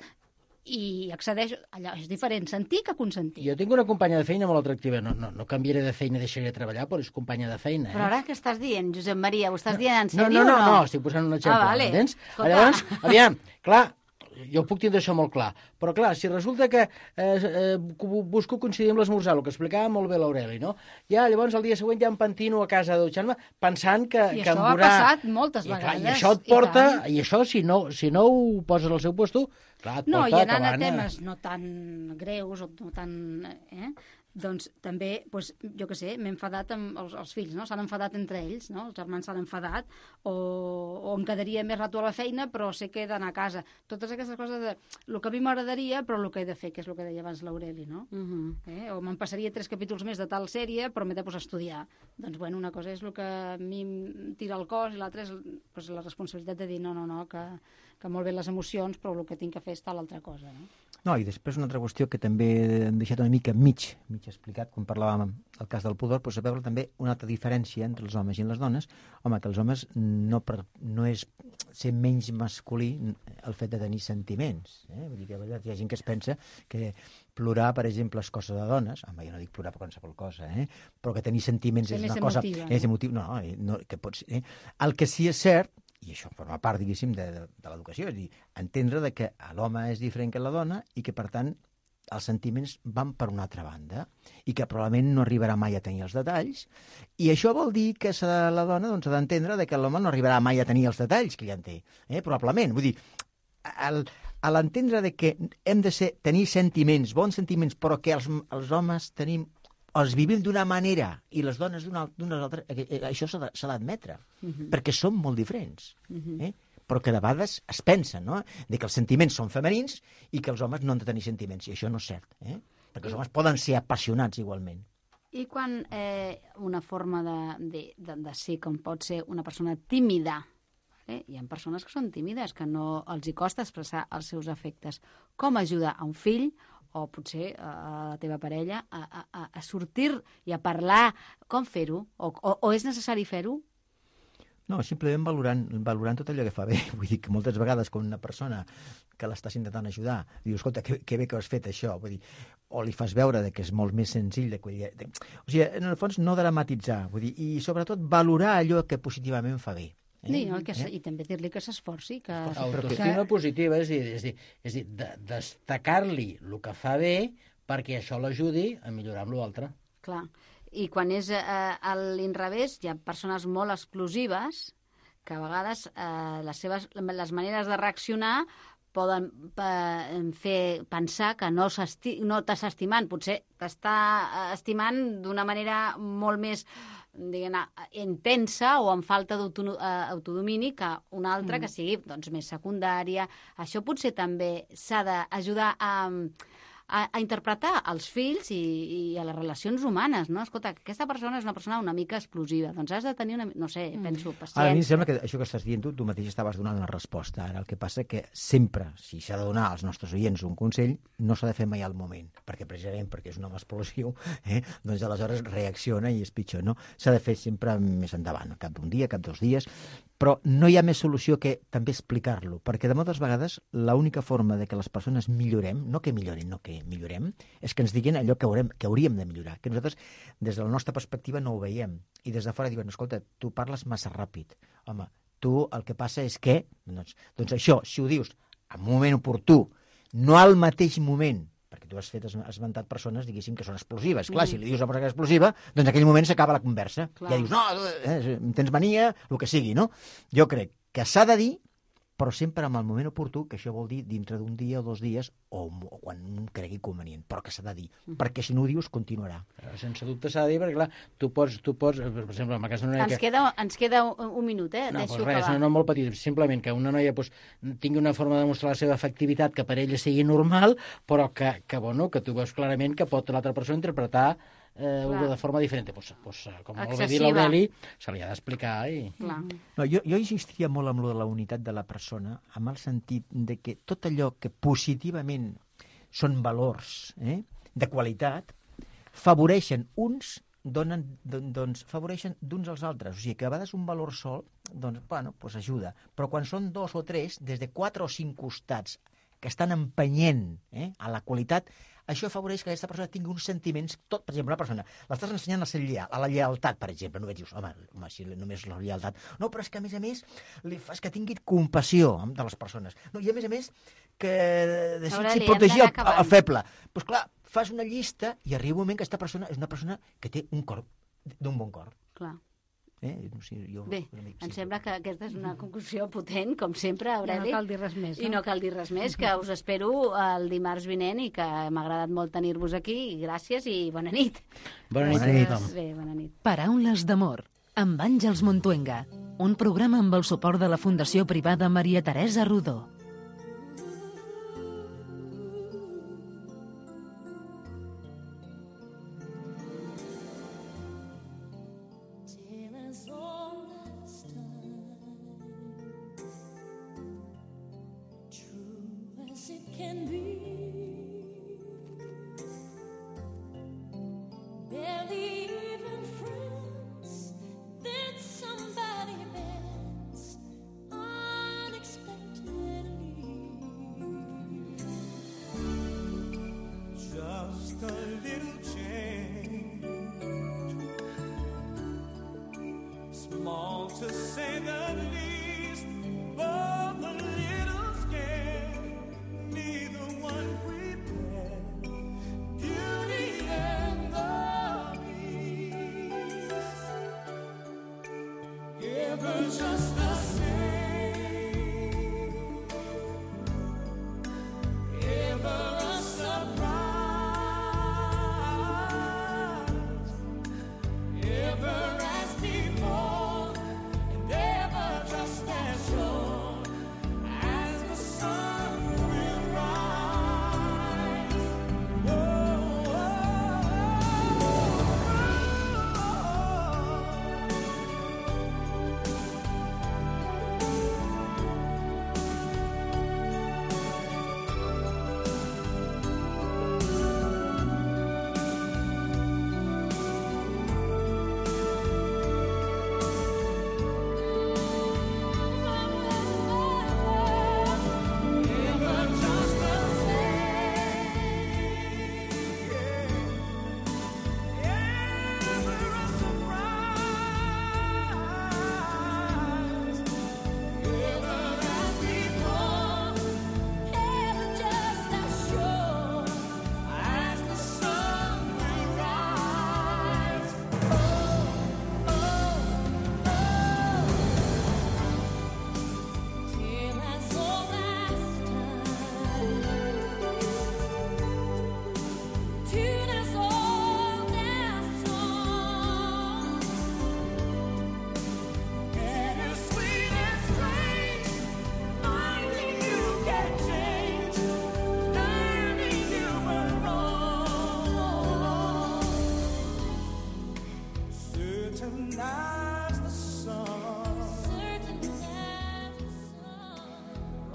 i accedeix, allò és diferent sentir que consentir. Jo tinc una companya de feina molt atractiva. No, no, no canviaré de feina i deixaré de treballar, però és companya de feina. Eh? Però ara què estàs dient, Josep Maria? Ho estàs dient en No, sèrio no, no, o no? no, estic posant un exemple, Ah, vale. m'entens? Escolta. Llavors, aviam, clar, jo puc tindre això molt clar, però clar, si resulta que eh, eh, busco coincidir amb l'esmorzar, el que explicava molt bé l'Aureli, no? Ja, llavors, el dia següent ja em pentino a casa a dutxar-me pensant que, I que això em ha durà... passat moltes I, clar, vegades, I això et i porta, tant. i, això, si no, si no ho poses al seu puesto, clar, et No, i porta anant a acabant... temes no tan greus o no tan... Eh? Doncs també, doncs, jo què sé, m'he enfadat amb els, els fills, no? S'han enfadat entre ells, no? Els germans s'han enfadat, o, o em quedaria més rato a la feina, però sé que he d'anar a casa. Totes aquestes coses de... El que a mi m'agradaria, però el que he de fer, que és el que deia abans l'Aureli, no? Uh -huh. Eh? O me'n passaria tres capítols més de tal sèrie, però m'he de posar a estudiar. Doncs, bueno, una cosa és el que a mi em tira el cos i l'altra és pues, la responsabilitat de dir no, no, no, que, que molt bé les emocions, però el que tinc que fer és tal altra cosa, no? No, i després una altra qüestió que també hem deixat una mica mig, mig explicat, quan parlàvem el cas del pudor, però veure també una altra diferència entre els homes i les dones. Home, que els homes no, per, no és ser menys masculí el fet de tenir sentiments. Eh? Vull dir que hi ha gent que es pensa que plorar, per exemple, és cosa de dones. Home, jo no dic plorar per qualsevol cosa, eh? Però que tenir sentiments Ser és més una cosa... emotiva, no? És emotiu, no, no, no, que pots... Eh? El que sí és cert, i això forma part, diguéssim, de, de, de l'educació, és a dir, entendre de que l'home és diferent que la dona i que, per tant, els sentiments van per una altra banda i que probablement no arribarà mai a tenir els detalls, i això vol dir que s'ha, la dona doncs, ha d'entendre de que l'home no arribarà mai a tenir els detalls que ja en té, eh? Probablement. Vull dir, el, a l'entendre de que hem de ser, tenir sentiments, bons sentiments, però que els, els homes tenim els vivim d'una manera i les dones d'una altra, això s'ha d'admetre, uh -huh. perquè som molt diferents. Uh -huh. eh? Però que de vegades es pensa, no?, de que els sentiments són femenins i que els homes no han de tenir sentiments, i això no és cert, eh? Perquè els homes poden ser apassionats igualment. I quan eh, una forma de, de, de, de ser com pot ser una persona tímida, vale? Hi ha persones que són tímides, que no els hi costa expressar els seus afectes. Com ajudar a un fill o potser a la teva parella a, a, a sortir i a parlar, com fer-ho? O, o, o és necessari fer-ho? No, simplement valorant, valorant tot allò que fa bé. Vull dir que moltes vegades quan una persona que l'estàs intentant ajudar diu, escolta, que, que bé que has fet això, vull dir, o li fas veure de que és molt més senzill de, de... O sigui, en el fons no dramatitzar, vull dir, i sobretot valorar allò que positivament fa bé. Eh? Sí, no, que, eh? I també dir-li que s'esforci, que... Autoestima positiva, és a dir, és a dir, és a dir de, destacar-li el que fa bé perquè això l'ajudi a millorar amb l'altre. Clar. I quan és eh, a l'inrevés, hi ha persones molt explosives que a vegades eh, les seves les maneres de reaccionar poden eh, fer pensar que no no t'està estimant, potser t'està estimant d'una manera molt més, diguem-ne, intensa o amb falta d'autodomini que una altra mm. que sigui doncs, més secundària. Això potser també s'ha d'ajudar a, a, a interpretar els fills i, i a les relacions humanes, no? Escolta, aquesta persona és una persona una mica explosiva, doncs has de tenir una... no sé, mm. penso, paciència. Ara, a mi em sembla que això que estàs dient tu, tu mateix estaves donant una resposta. Ara el que passa que sempre, si s'ha de donar als nostres oients un consell, no s'ha de fer mai al moment, perquè precisament perquè és un home explosiu, eh? Doncs aleshores reacciona i és pitjor, no? S'ha de fer sempre més endavant, cap d'un dia, cap dos dies, però no hi ha més solució que també explicar-lo, perquè de moltes vegades l'única forma de que les persones millorem, no que millorin, no que millorem, és que ens diguin allò que haurem, que hauríem de millorar, que nosaltres des de la nostra perspectiva no ho veiem, i des de fora diuen, escolta, tu parles massa ràpid, home, tu el que passa és que, doncs, doncs això, si ho dius en un moment oportú, no al mateix moment, perquè tu has fet esmentat persones, diguéssim, que són explosives. Clar, mm. si li dius a una persona que és explosiva, doncs en aquell moment s'acaba la conversa. Clar. Ja dius, no, eh, tens mania, el que sigui, no? Jo crec que s'ha de dir, però sempre amb el moment oportú, que això vol dir dintre d'un dia o dos dies, o, o quan un cregui convenient, però que s'ha de dir, mm. perquè si no ho dius continuarà. Sense dubte s'ha de dir, perquè clar, tu pots, tu pots per exemple, en el cas d'una noia ens que... Queda, ens queda un, un minut, eh? No, Deixo pues res, acabar. no, no molt petit, simplement que una noia pues, tingui una forma de demostrar la seva efectivitat que per ella sigui normal, però que, que, bueno, que tu veus clarament que pot l'altra persona interpretar eh, de forma diferent. Pues, pues, com molt bé dir l'Aureli, se li ha d'explicar. I... No, jo, jo insistiria molt amb lo de la unitat de la persona, amb el sentit de que tot allò que positivament són valors eh, de qualitat, favoreixen uns, donen, doncs, favoreixen d'uns als altres. O sigui, que a vegades un valor sol, doncs, bueno, pues ajuda. Però quan són dos o tres, des de quatre o cinc costats que estan empenyent eh, a la qualitat, això afavoreix que aquesta persona tingui uns sentiments, tot, per exemple, una persona, l'estàs ensenyant a ser lleal, a la lleialtat, per exemple, no et dius, home, home, si només la lleialtat, no, però és que a més a més li fas que tingui compassió de les persones, no, i a més a més que desitgi protegir el, el feble. Doncs pues, clar, fas una llista i arriba un moment que aquesta persona és una persona que té un cor, d'un bon cor. Clar. Eh? No sé, jo, Bé, amic, em sí. sembla que aquesta és una conclusió potent, com sempre, Aureli. I no cal dir res més, no? I no cal dir res més, que us espero el dimarts vinent i que m'ha agradat molt tenir-vos aquí. I gràcies i bona nit. Bona nit. Bona nit. Bé, bona nit. Paraules d'amor, amb Àngels Montuenga, un programa amb el suport de la Fundació Privada Maria Teresa Rodó.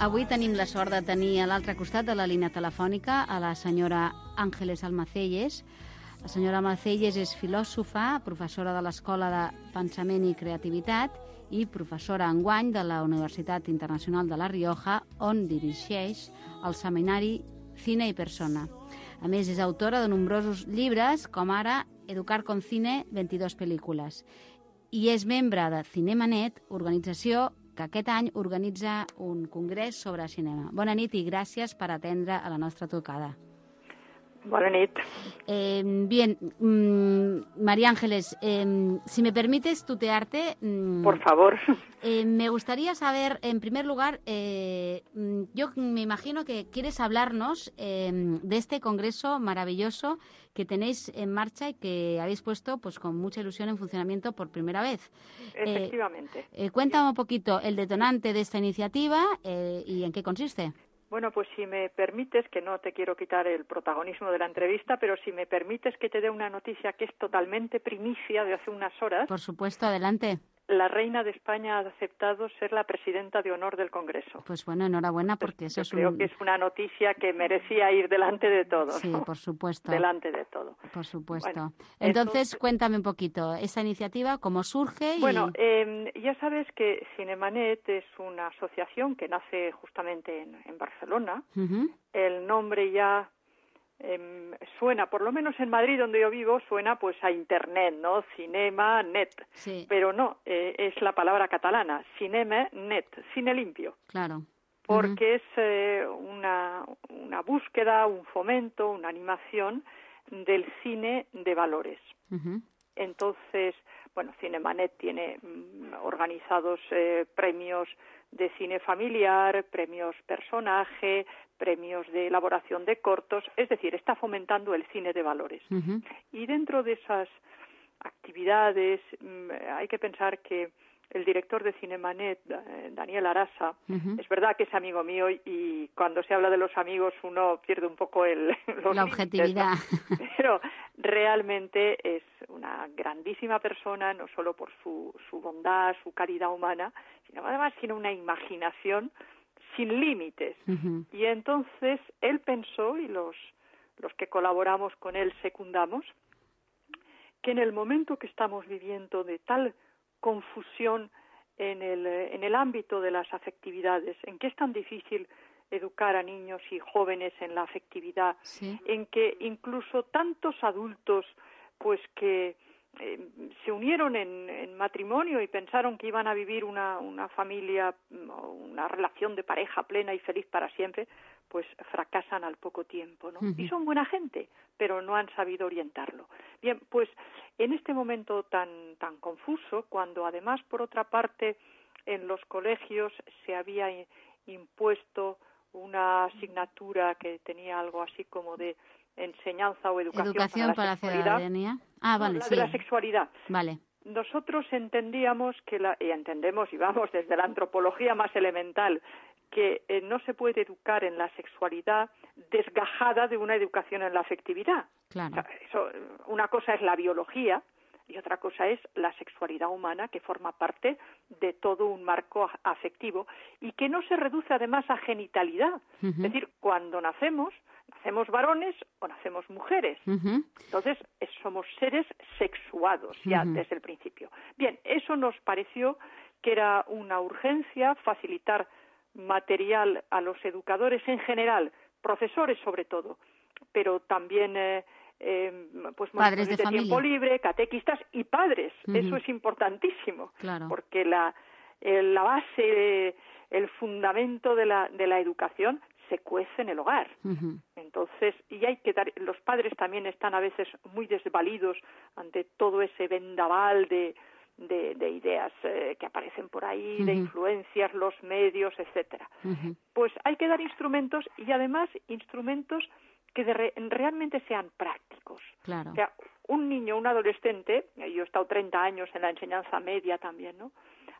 Avui tenim la sort de tenir a l'altre costat de la línia telefònica a la senyora Ángeles Almacelles. La senyora Almacelles és filòsofa, professora de l'Escola de Pensament i Creativitat i professora enguany de la Universitat Internacional de La Rioja, on dirigeix el seminari Cine i Persona. A més, és autora de nombrosos llibres, com ara Educar con Cine, veintidós pel·lícules. I és membre de Cinemanet, organització que aquest any organitza un congrés sobre cinema. Bona nit i gràcies per atendre a la nostra trucada. Buenas nit. Eh, bien, mmm, María Ángeles, eh, si me permites tutearte... Mmm, Por favor. Eh, me gustaría saber, en primer lugar, eh, yo me imagino que quieres hablarnos eh, de este congreso maravilloso que tenéis en marcha y que habéis puesto pues con mucha ilusión en funcionamiento por primera vez. Efectivamente. Eh, eh, cuéntame un poquito el detonante de esta iniciativa eh, y en qué consiste. Bueno, pues si me permites, que no te quiero quitar el protagonismo de la entrevista, pero si me permites que te dé una noticia que es totalmente primicia de hace unas horas. Por supuesto, adelante. La reina de España ha aceptado ser la presidenta de honor del Congreso. Pues bueno, enhorabuena, porque eso Yo es creo un... que es una noticia que merecía ir delante de todo. Sí, ¿no? por supuesto. Delante de todo. Por supuesto. Bueno, Entonces, eso... cuéntame un poquito, esa iniciativa, cómo surge y... Bueno, eh, ya sabes que Cinemanet es una asociación que nace justamente en, en Barcelona. Uh-huh. El nombre ya... Eh, suena, por lo menos en Madrid, donde yo vivo, suena pues a Internet, ¿no? Cinema, net. Sí. Pero no, eh, es la palabra catalana, cinema, net, cine limpio. Claro. Porque Uh-huh. es eh, una, una búsqueda, un fomento, una animación del cine de valores. Uh-huh. Entonces, bueno, Cinemanet tiene mm, organizados eh, premios de cine familiar, premios personaje, premios de elaboración de cortos, es decir, está fomentando el cine de valores. Uh-huh. Y dentro de esas actividades mmm, hay que pensar que el director de Cinemanet, Daniel Arasa, uh-huh. es verdad que es amigo mío y cuando se habla de los amigos uno pierde un poco el, los la límites, objetividad. ¿no? Pero realmente es una grandísima persona, no solo por su, su bondad, su calidad humana, sino además tiene una imaginación sin límites. Uh-huh. Y entonces él pensó, y los, los que colaboramos con él secundamos, que en el momento que estamos viviendo de tal confusión en el, en el ámbito de las afectividades, en que es tan difícil educar a niños y jóvenes en la afectividad, sí. en que incluso tantos adultos pues que eh, se unieron en, en matrimonio y pensaron que iban a vivir una, una familia, una relación de pareja plena y feliz para siempre, pues fracasan al poco tiempo, ¿no? Uh-huh. Y son buena gente, pero no han sabido orientarlo. Bien, pues en este momento tan, tan confuso, cuando además, por otra parte, en los colegios se había impuesto una asignatura que tenía algo así como de enseñanza o educación, educación para la ciudadanía. Ah, vale, no, la sí. de la sexualidad. Vale. Nosotros entendíamos que la, y entendemos y vamos desde la antropología más elemental, que eh, no se puede educar en la sexualidad desgajada de una educación en la afectividad. Claro. O sea, eso, una cosa es la biología y otra cosa es la sexualidad humana, que forma parte de todo un marco afectivo y que no se reduce además a genitalidad. Uh-huh. Es decir, cuando nacemos, nacemos varones o nacemos mujeres. Uh-huh. Entonces, somos seres sexuados ya uh-huh. desde el principio. Bien, eso nos pareció que era una urgencia, facilitar material a los educadores en general, profesores sobre todo, pero también eh, eh, pues padres de, de tiempo libre, catequistas y padres. Uh-huh. Eso es importantísimo, claro. porque la, eh, la base, el fundamento de la, de la educación se cuece en el hogar. Uh-huh. Entonces, y hay que dar, los padres también están a veces muy desvalidos ante todo ese vendaval de De, de ideas eh, que aparecen por ahí, uh-huh. de influencias, los medios, etcétera. Uh-huh. Pues hay que dar instrumentos y además instrumentos que de re, realmente sean prácticos. Claro. O sea, un niño, un adolescente, yo he estado treinta años en la enseñanza media también, ¿no?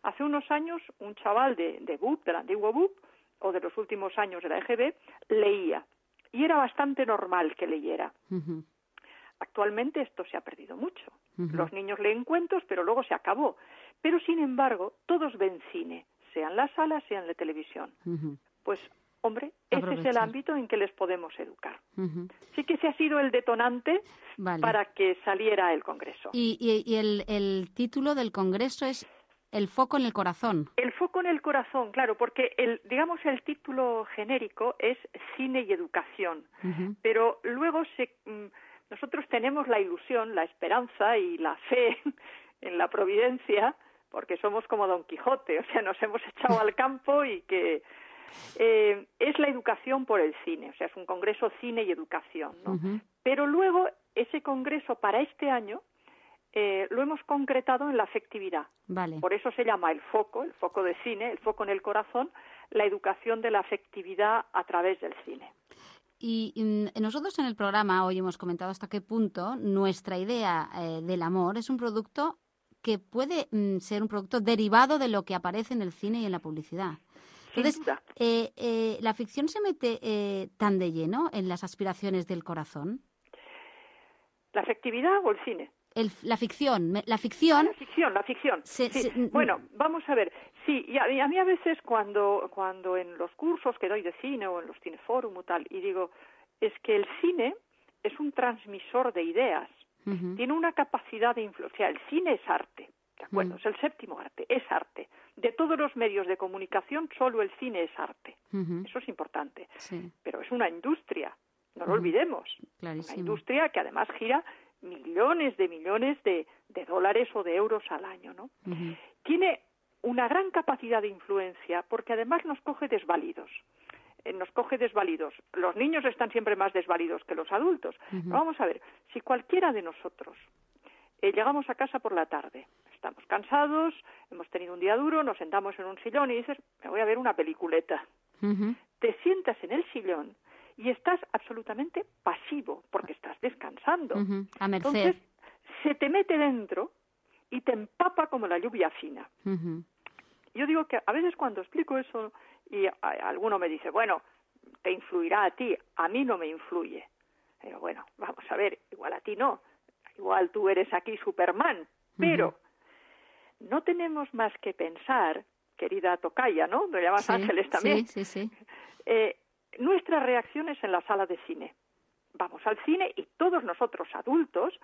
Hace unos años un chaval de, de B U P, del antiguo B U P, o de los últimos años de la E G B, leía. Y era bastante normal que leyera. Uh-huh. Actualmente esto se ha perdido mucho. Uh-huh. Los niños leen cuentos, pero luego se acabó. Pero, sin embargo, todos ven cine, sea en la sala, sea en la televisión. Uh-huh. Pues, hombre, ese es el ámbito en que les podemos educar. Uh-huh. Sí que ese ha sido el detonante vale. para que saliera el Congreso. Y, y, y el, el título del Congreso es El foco en el corazón. El foco en el corazón, claro, porque el, digamos el título genérico es Cine y Educación. Uh-huh. Pero luego se... Nosotros tenemos la ilusión, la esperanza y la fe en la providencia, porque somos como Don Quijote, o sea, nos hemos echado al campo y que eh, es la educación por el cine, o sea, es un congreso cine y educación, ¿no? Uh-huh. Pero luego ese congreso para este año eh, lo hemos concretado en la afectividad. Vale. Por eso se llama el foco, el foco de cine, el foco en el corazón, la educación de la afectividad a través del cine. Y, y nosotros en el programa hoy hemos comentado hasta qué punto nuestra idea eh, del amor es un producto que puede mm, ser un producto derivado de lo que aparece en el cine y en la publicidad. Entonces, eh, eh, ¿la ficción se mete eh, tan de lleno en las aspiraciones del corazón? ¿La afectividad o el cine? El, la ficción, la ficción... Ah, la ficción, la ficción. Se, sí. se, bueno, vamos a ver. Sí, y a, y a mí a veces cuando, cuando en los cursos que doy de cine o en los cineforum o tal, y digo, es que el cine es un transmisor de ideas, uh-huh. tiene una capacidad de influencia. El cine es arte, ¿de acuerdo? Uh-huh. Es el séptimo arte, es arte. De todos los medios de comunicación, solo el cine es arte. Uh-huh. Eso es importante. Sí. Pero es una industria, no lo uh-huh. olvidemos. Clarísimo. Una industria que además gira millones de millones de, de dólares o de euros al año, ¿no? Uh-huh. Tiene una gran capacidad de influencia porque además nos coge desvalidos. Eh, nos coge desvalidos. Los niños están siempre más desvalidos que los adultos. Uh-huh. Vamos a ver, si cualquiera de nosotros eh, llegamos a casa por la tarde, estamos cansados, hemos tenido un día duro, nos sentamos en un sillón y dices, me voy a ver una peliculeta. Uh-huh. Te sientas en el sillón y estás absolutamente pasivo porque estás descansando. Uh-huh. A merced. Entonces, se te mete dentro y te empapa como la lluvia fina. Uh-huh. Yo digo que a veces cuando explico eso y a, a alguno me dice, bueno, te influirá a ti, a mí no me influye. Pero bueno, vamos a ver, igual a ti no, igual tú eres aquí Superman, pero uh-huh. no tenemos más que pensar, querida tocaya, ¿no? Me llamas sí, Ángeles también. Sí, sí, sí. Eh, nuestras reacciones en la sala de cine. Vamos al cine y todos nosotros adultos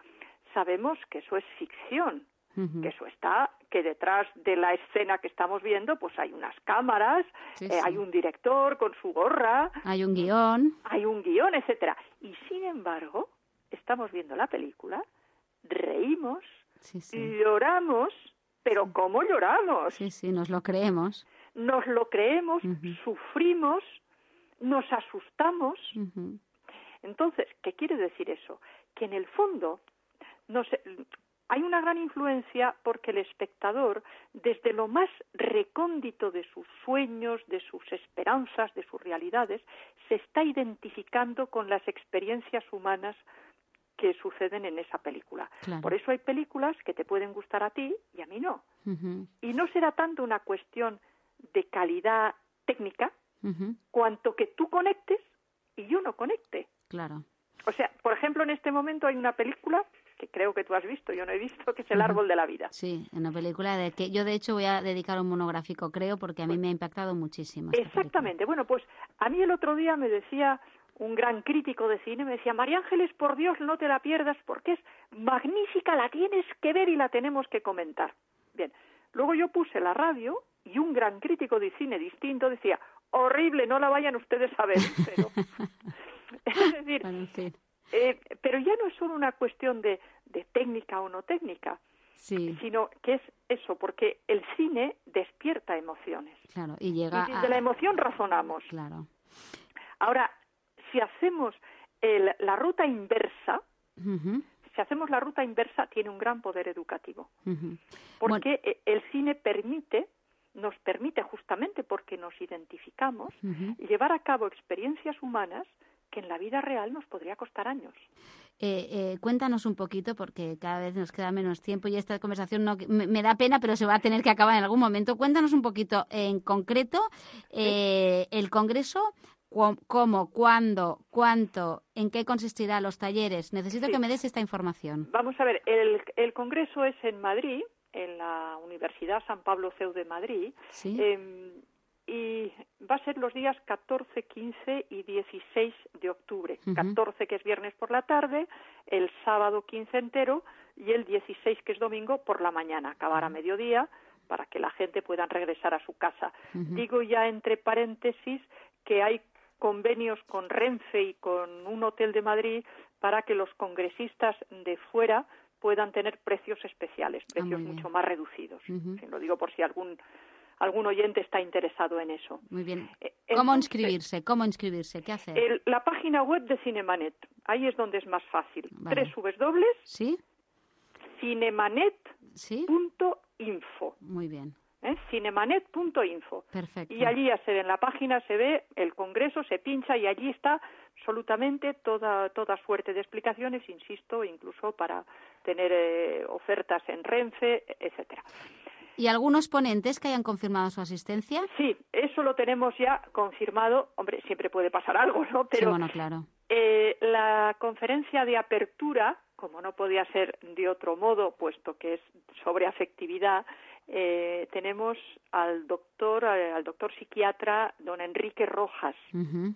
sabemos que eso es ficción, uh-huh. que eso está, que detrás de la escena que estamos viendo pues hay unas cámaras, sí, eh, sí. hay un director con su gorra, hay un guión, hay un guión, etcétera. Y sin embargo, estamos viendo la película, reímos, sí, sí. lloramos, pero sí. ¿cómo lloramos? Sí, sí, nos lo creemos. Nos lo creemos, uh-huh. sufrimos, nos asustamos. Uh-huh. Entonces, ¿qué quiere decir eso? Que en el fondo no sé, hay una gran influencia porque el espectador, desde lo más recóndito de sus sueños, de sus esperanzas, de sus realidades, se está identificando con las experiencias humanas que suceden en esa película. Claro. Por eso hay películas que te pueden gustar a ti y a mí no. Uh-huh. Y no será tanto una cuestión de calidad técnica, uh-huh. cuanto que tú conectes y yo no conecte. Claro. O sea, por ejemplo, en este momento hay una película que creo que tú has visto, yo no he visto, que es El uh-huh. árbol de la vida. Sí, una película de que yo de hecho voy a dedicar un monográfico, creo, porque a mí me ha impactado muchísimo. Exactamente. Bueno, pues a mí el otro día me decía un gran crítico de cine, me decía, María Ángeles, por Dios, no te la pierdas porque es magnífica, la tienes que ver y la tenemos que comentar. Bien, luego yo puse la radio y un gran crítico de cine distinto decía, horrible, no la vayan ustedes a ver. Pero, es decir, bueno, en fin. eh, pero ya no es solo una cuestión de, de técnica o no técnica, sí. sino que es eso, porque el cine despierta emociones. Claro, y llega y desde a... la emoción razonamos. Claro. Ahora, si hacemos el, la ruta inversa, uh-huh. si hacemos la ruta inversa, tiene un gran poder educativo. Uh-huh. Porque bueno. el cine permite, nos permite justamente porque nos identificamos, uh-huh. llevar a cabo experiencias humanas que en la vida real nos podría costar años. Eh, eh, cuéntanos un poquito, porque cada vez nos queda menos tiempo y esta conversación no, me, me da pena, pero se va a tener que acabar en algún momento. Cuéntanos un poquito en concreto eh, ¿sí? el Congreso, cu- cómo, cuándo, cuánto, en qué consistirá los talleres. Necesito sí. que me des esta información. Vamos a ver, el, el Congreso es en Madrid, en la Universidad San Pablo C E U de Madrid, ¿sí? eh, y va a ser los días catorce, quince y dieciséis de octubre. Uh-huh. catorce, que es viernes por la tarde, el sábado quince entero y el dieciséis, que es domingo, por la mañana. Acabar a mediodía para que la gente pueda regresar a su casa. Uh-huh. Digo ya entre paréntesis que hay convenios con Renfe y con un hotel de Madrid para que los congresistas de fuera puedan tener precios especiales, precios ah, mucho más reducidos. Uh-huh. Sí, lo digo por si algún algún oyente está interesado en eso. Muy bien. Eh, ¿Cómo entonces, inscribirse? ¿Cómo inscribirse? ¿Qué hacer? el- la página web de Cinemanet, ahí es donde es más fácil. Vale. w w w punto ¿Sí? cinemanet ¿Sí? punto info. Muy bien. ¿eh? cinemanet punto info. Perfecto. Y allí ya se ve en la página, se ve el congreso, se pincha y allí está absolutamente toda, toda suerte de explicaciones, insisto, incluso para tener eh, ofertas en Renfe, etcétera. ¿Y algunos ponentes que hayan confirmado su asistencia? Sí, eso lo tenemos ya confirmado. Hombre, siempre puede pasar algo, ¿no? Pero Sí, bueno, claro. eh, la conferencia de apertura, como no podía ser de otro modo, puesto que es sobre afectividad, eh, tenemos al doctor, al doctor psiquiatra don Enrique Rojas, Ujú.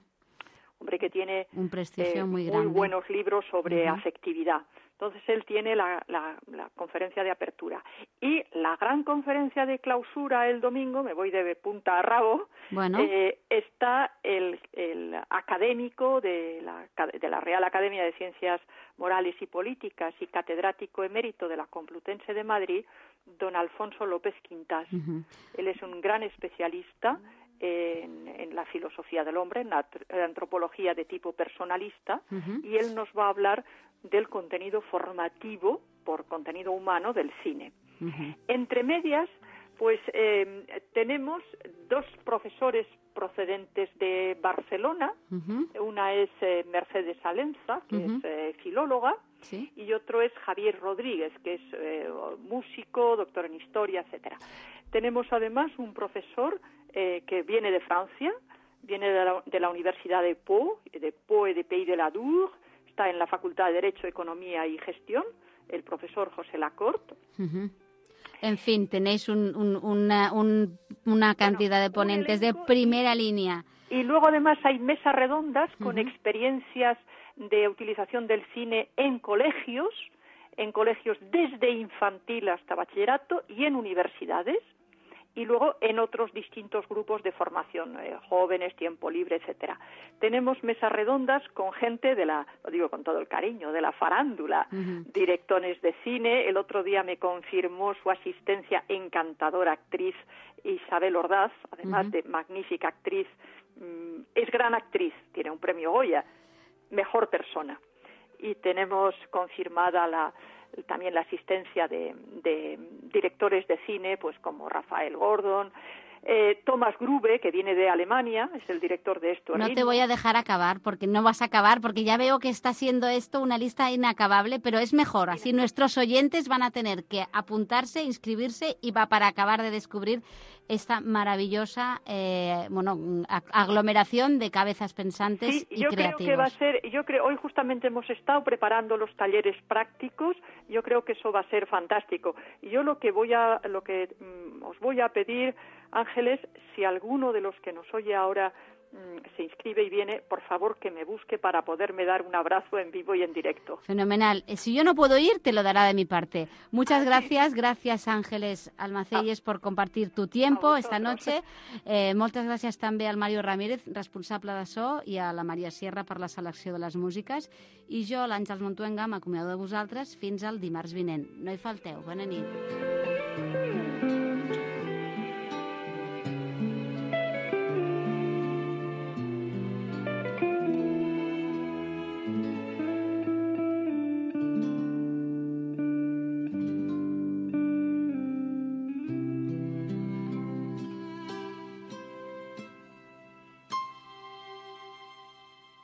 hombre que tiene Un prestigio eh, muy grande. buenos libros sobre Ujú. afectividad. Entonces él tiene la, la, la conferencia de apertura. Y la gran conferencia de clausura el domingo, me voy de punta a rabo, Bueno. eh, está el, el académico de la, de la Real Academia de Ciencias Morales y Políticas y catedrático emérito de la Complutense de Madrid, don Alfonso López Quintás. Ujú. Él es un gran especialista en, en la filosofía del hombre, en la antropología de tipo personalista, Ujú. y él nos va a hablar del contenido formativo por contenido humano del cine. Ujú. Entre medias, pues eh, tenemos dos profesores procedentes de Barcelona. Ujú. Una es eh, Mercedes Alenza, que Ujú. es eh, filóloga, Sí. y otro es Javier Rodríguez, que es eh, músico, doctor en historia, etcétera. Tenemos además un profesor eh, que viene de Francia, viene de la, de la Universidad de Pau, de Pau et de Pays de la Dour, está en la Facultad de Derecho, Economía y Gestión, el profesor José Lacorte. Ujú. En fin, tenéis un, un- una, un- una cantidad de un ponentes de elenco primera línea. Y luego además hay mesas redondas con Ujú. experiencias de utilización del cine en colegios, en colegios desde infantil hasta bachillerato y en universidades, y luego en otros distintos grupos de formación, eh, jóvenes, tiempo libre, etcétera. Tenemos mesas redondas con gente de la, lo digo con todo el cariño, de la farándula, Ujú. directores de cine. El otro día me confirmó su asistencia encantadora actriz Isabel Ordaz, además Ujú. de magnífica actriz, mm, es gran actriz, tiene un premio Goya, mejor persona. Y tenemos confirmada la también la asistencia de, de directores de cine, pues como Rafael Gordon, eh, Thomas Grube, que viene de Alemania, es el director de Esto es No te Ritmo. voy a dejar acabar, porque no vas a acabar, porque ya veo que está siendo esto una lista inacabable, pero es mejor, así nuestros oyentes van a tener que apuntarse, inscribirse y va para acabar de descubrir esta maravillosa eh, bueno, a- aglomeración de cabezas pensantes Sí, y yo creo creativos. que va a ser, yo creo, hoy justamente hemos estado preparando los talleres prácticos, yo creo que eso va a ser fantástico. Y yo lo que voy a, lo que mm, os voy a pedir, Ángeles, si alguno de los que nos oye ahora mm, se inscribe y viene, por favor que me busque para poderme dar un abrazo en vivo y en directo. Fenomenal. Eh, Si yo no puedo ir, te lo dará de mi parte. Muchas gracias. Gracias, Ángeles Almacelles, por compartir tu tiempo A esta vosaltres. noche. Eh, moltes gràcies també al Mario Ramírez, responsable de so, i a la Maria Sierra per la selecció de les músiques. I jo, l'Àngels Montuenga, m'acomiado de vosaltres fins al dimarts vinent. No hi falteu. Bona nit.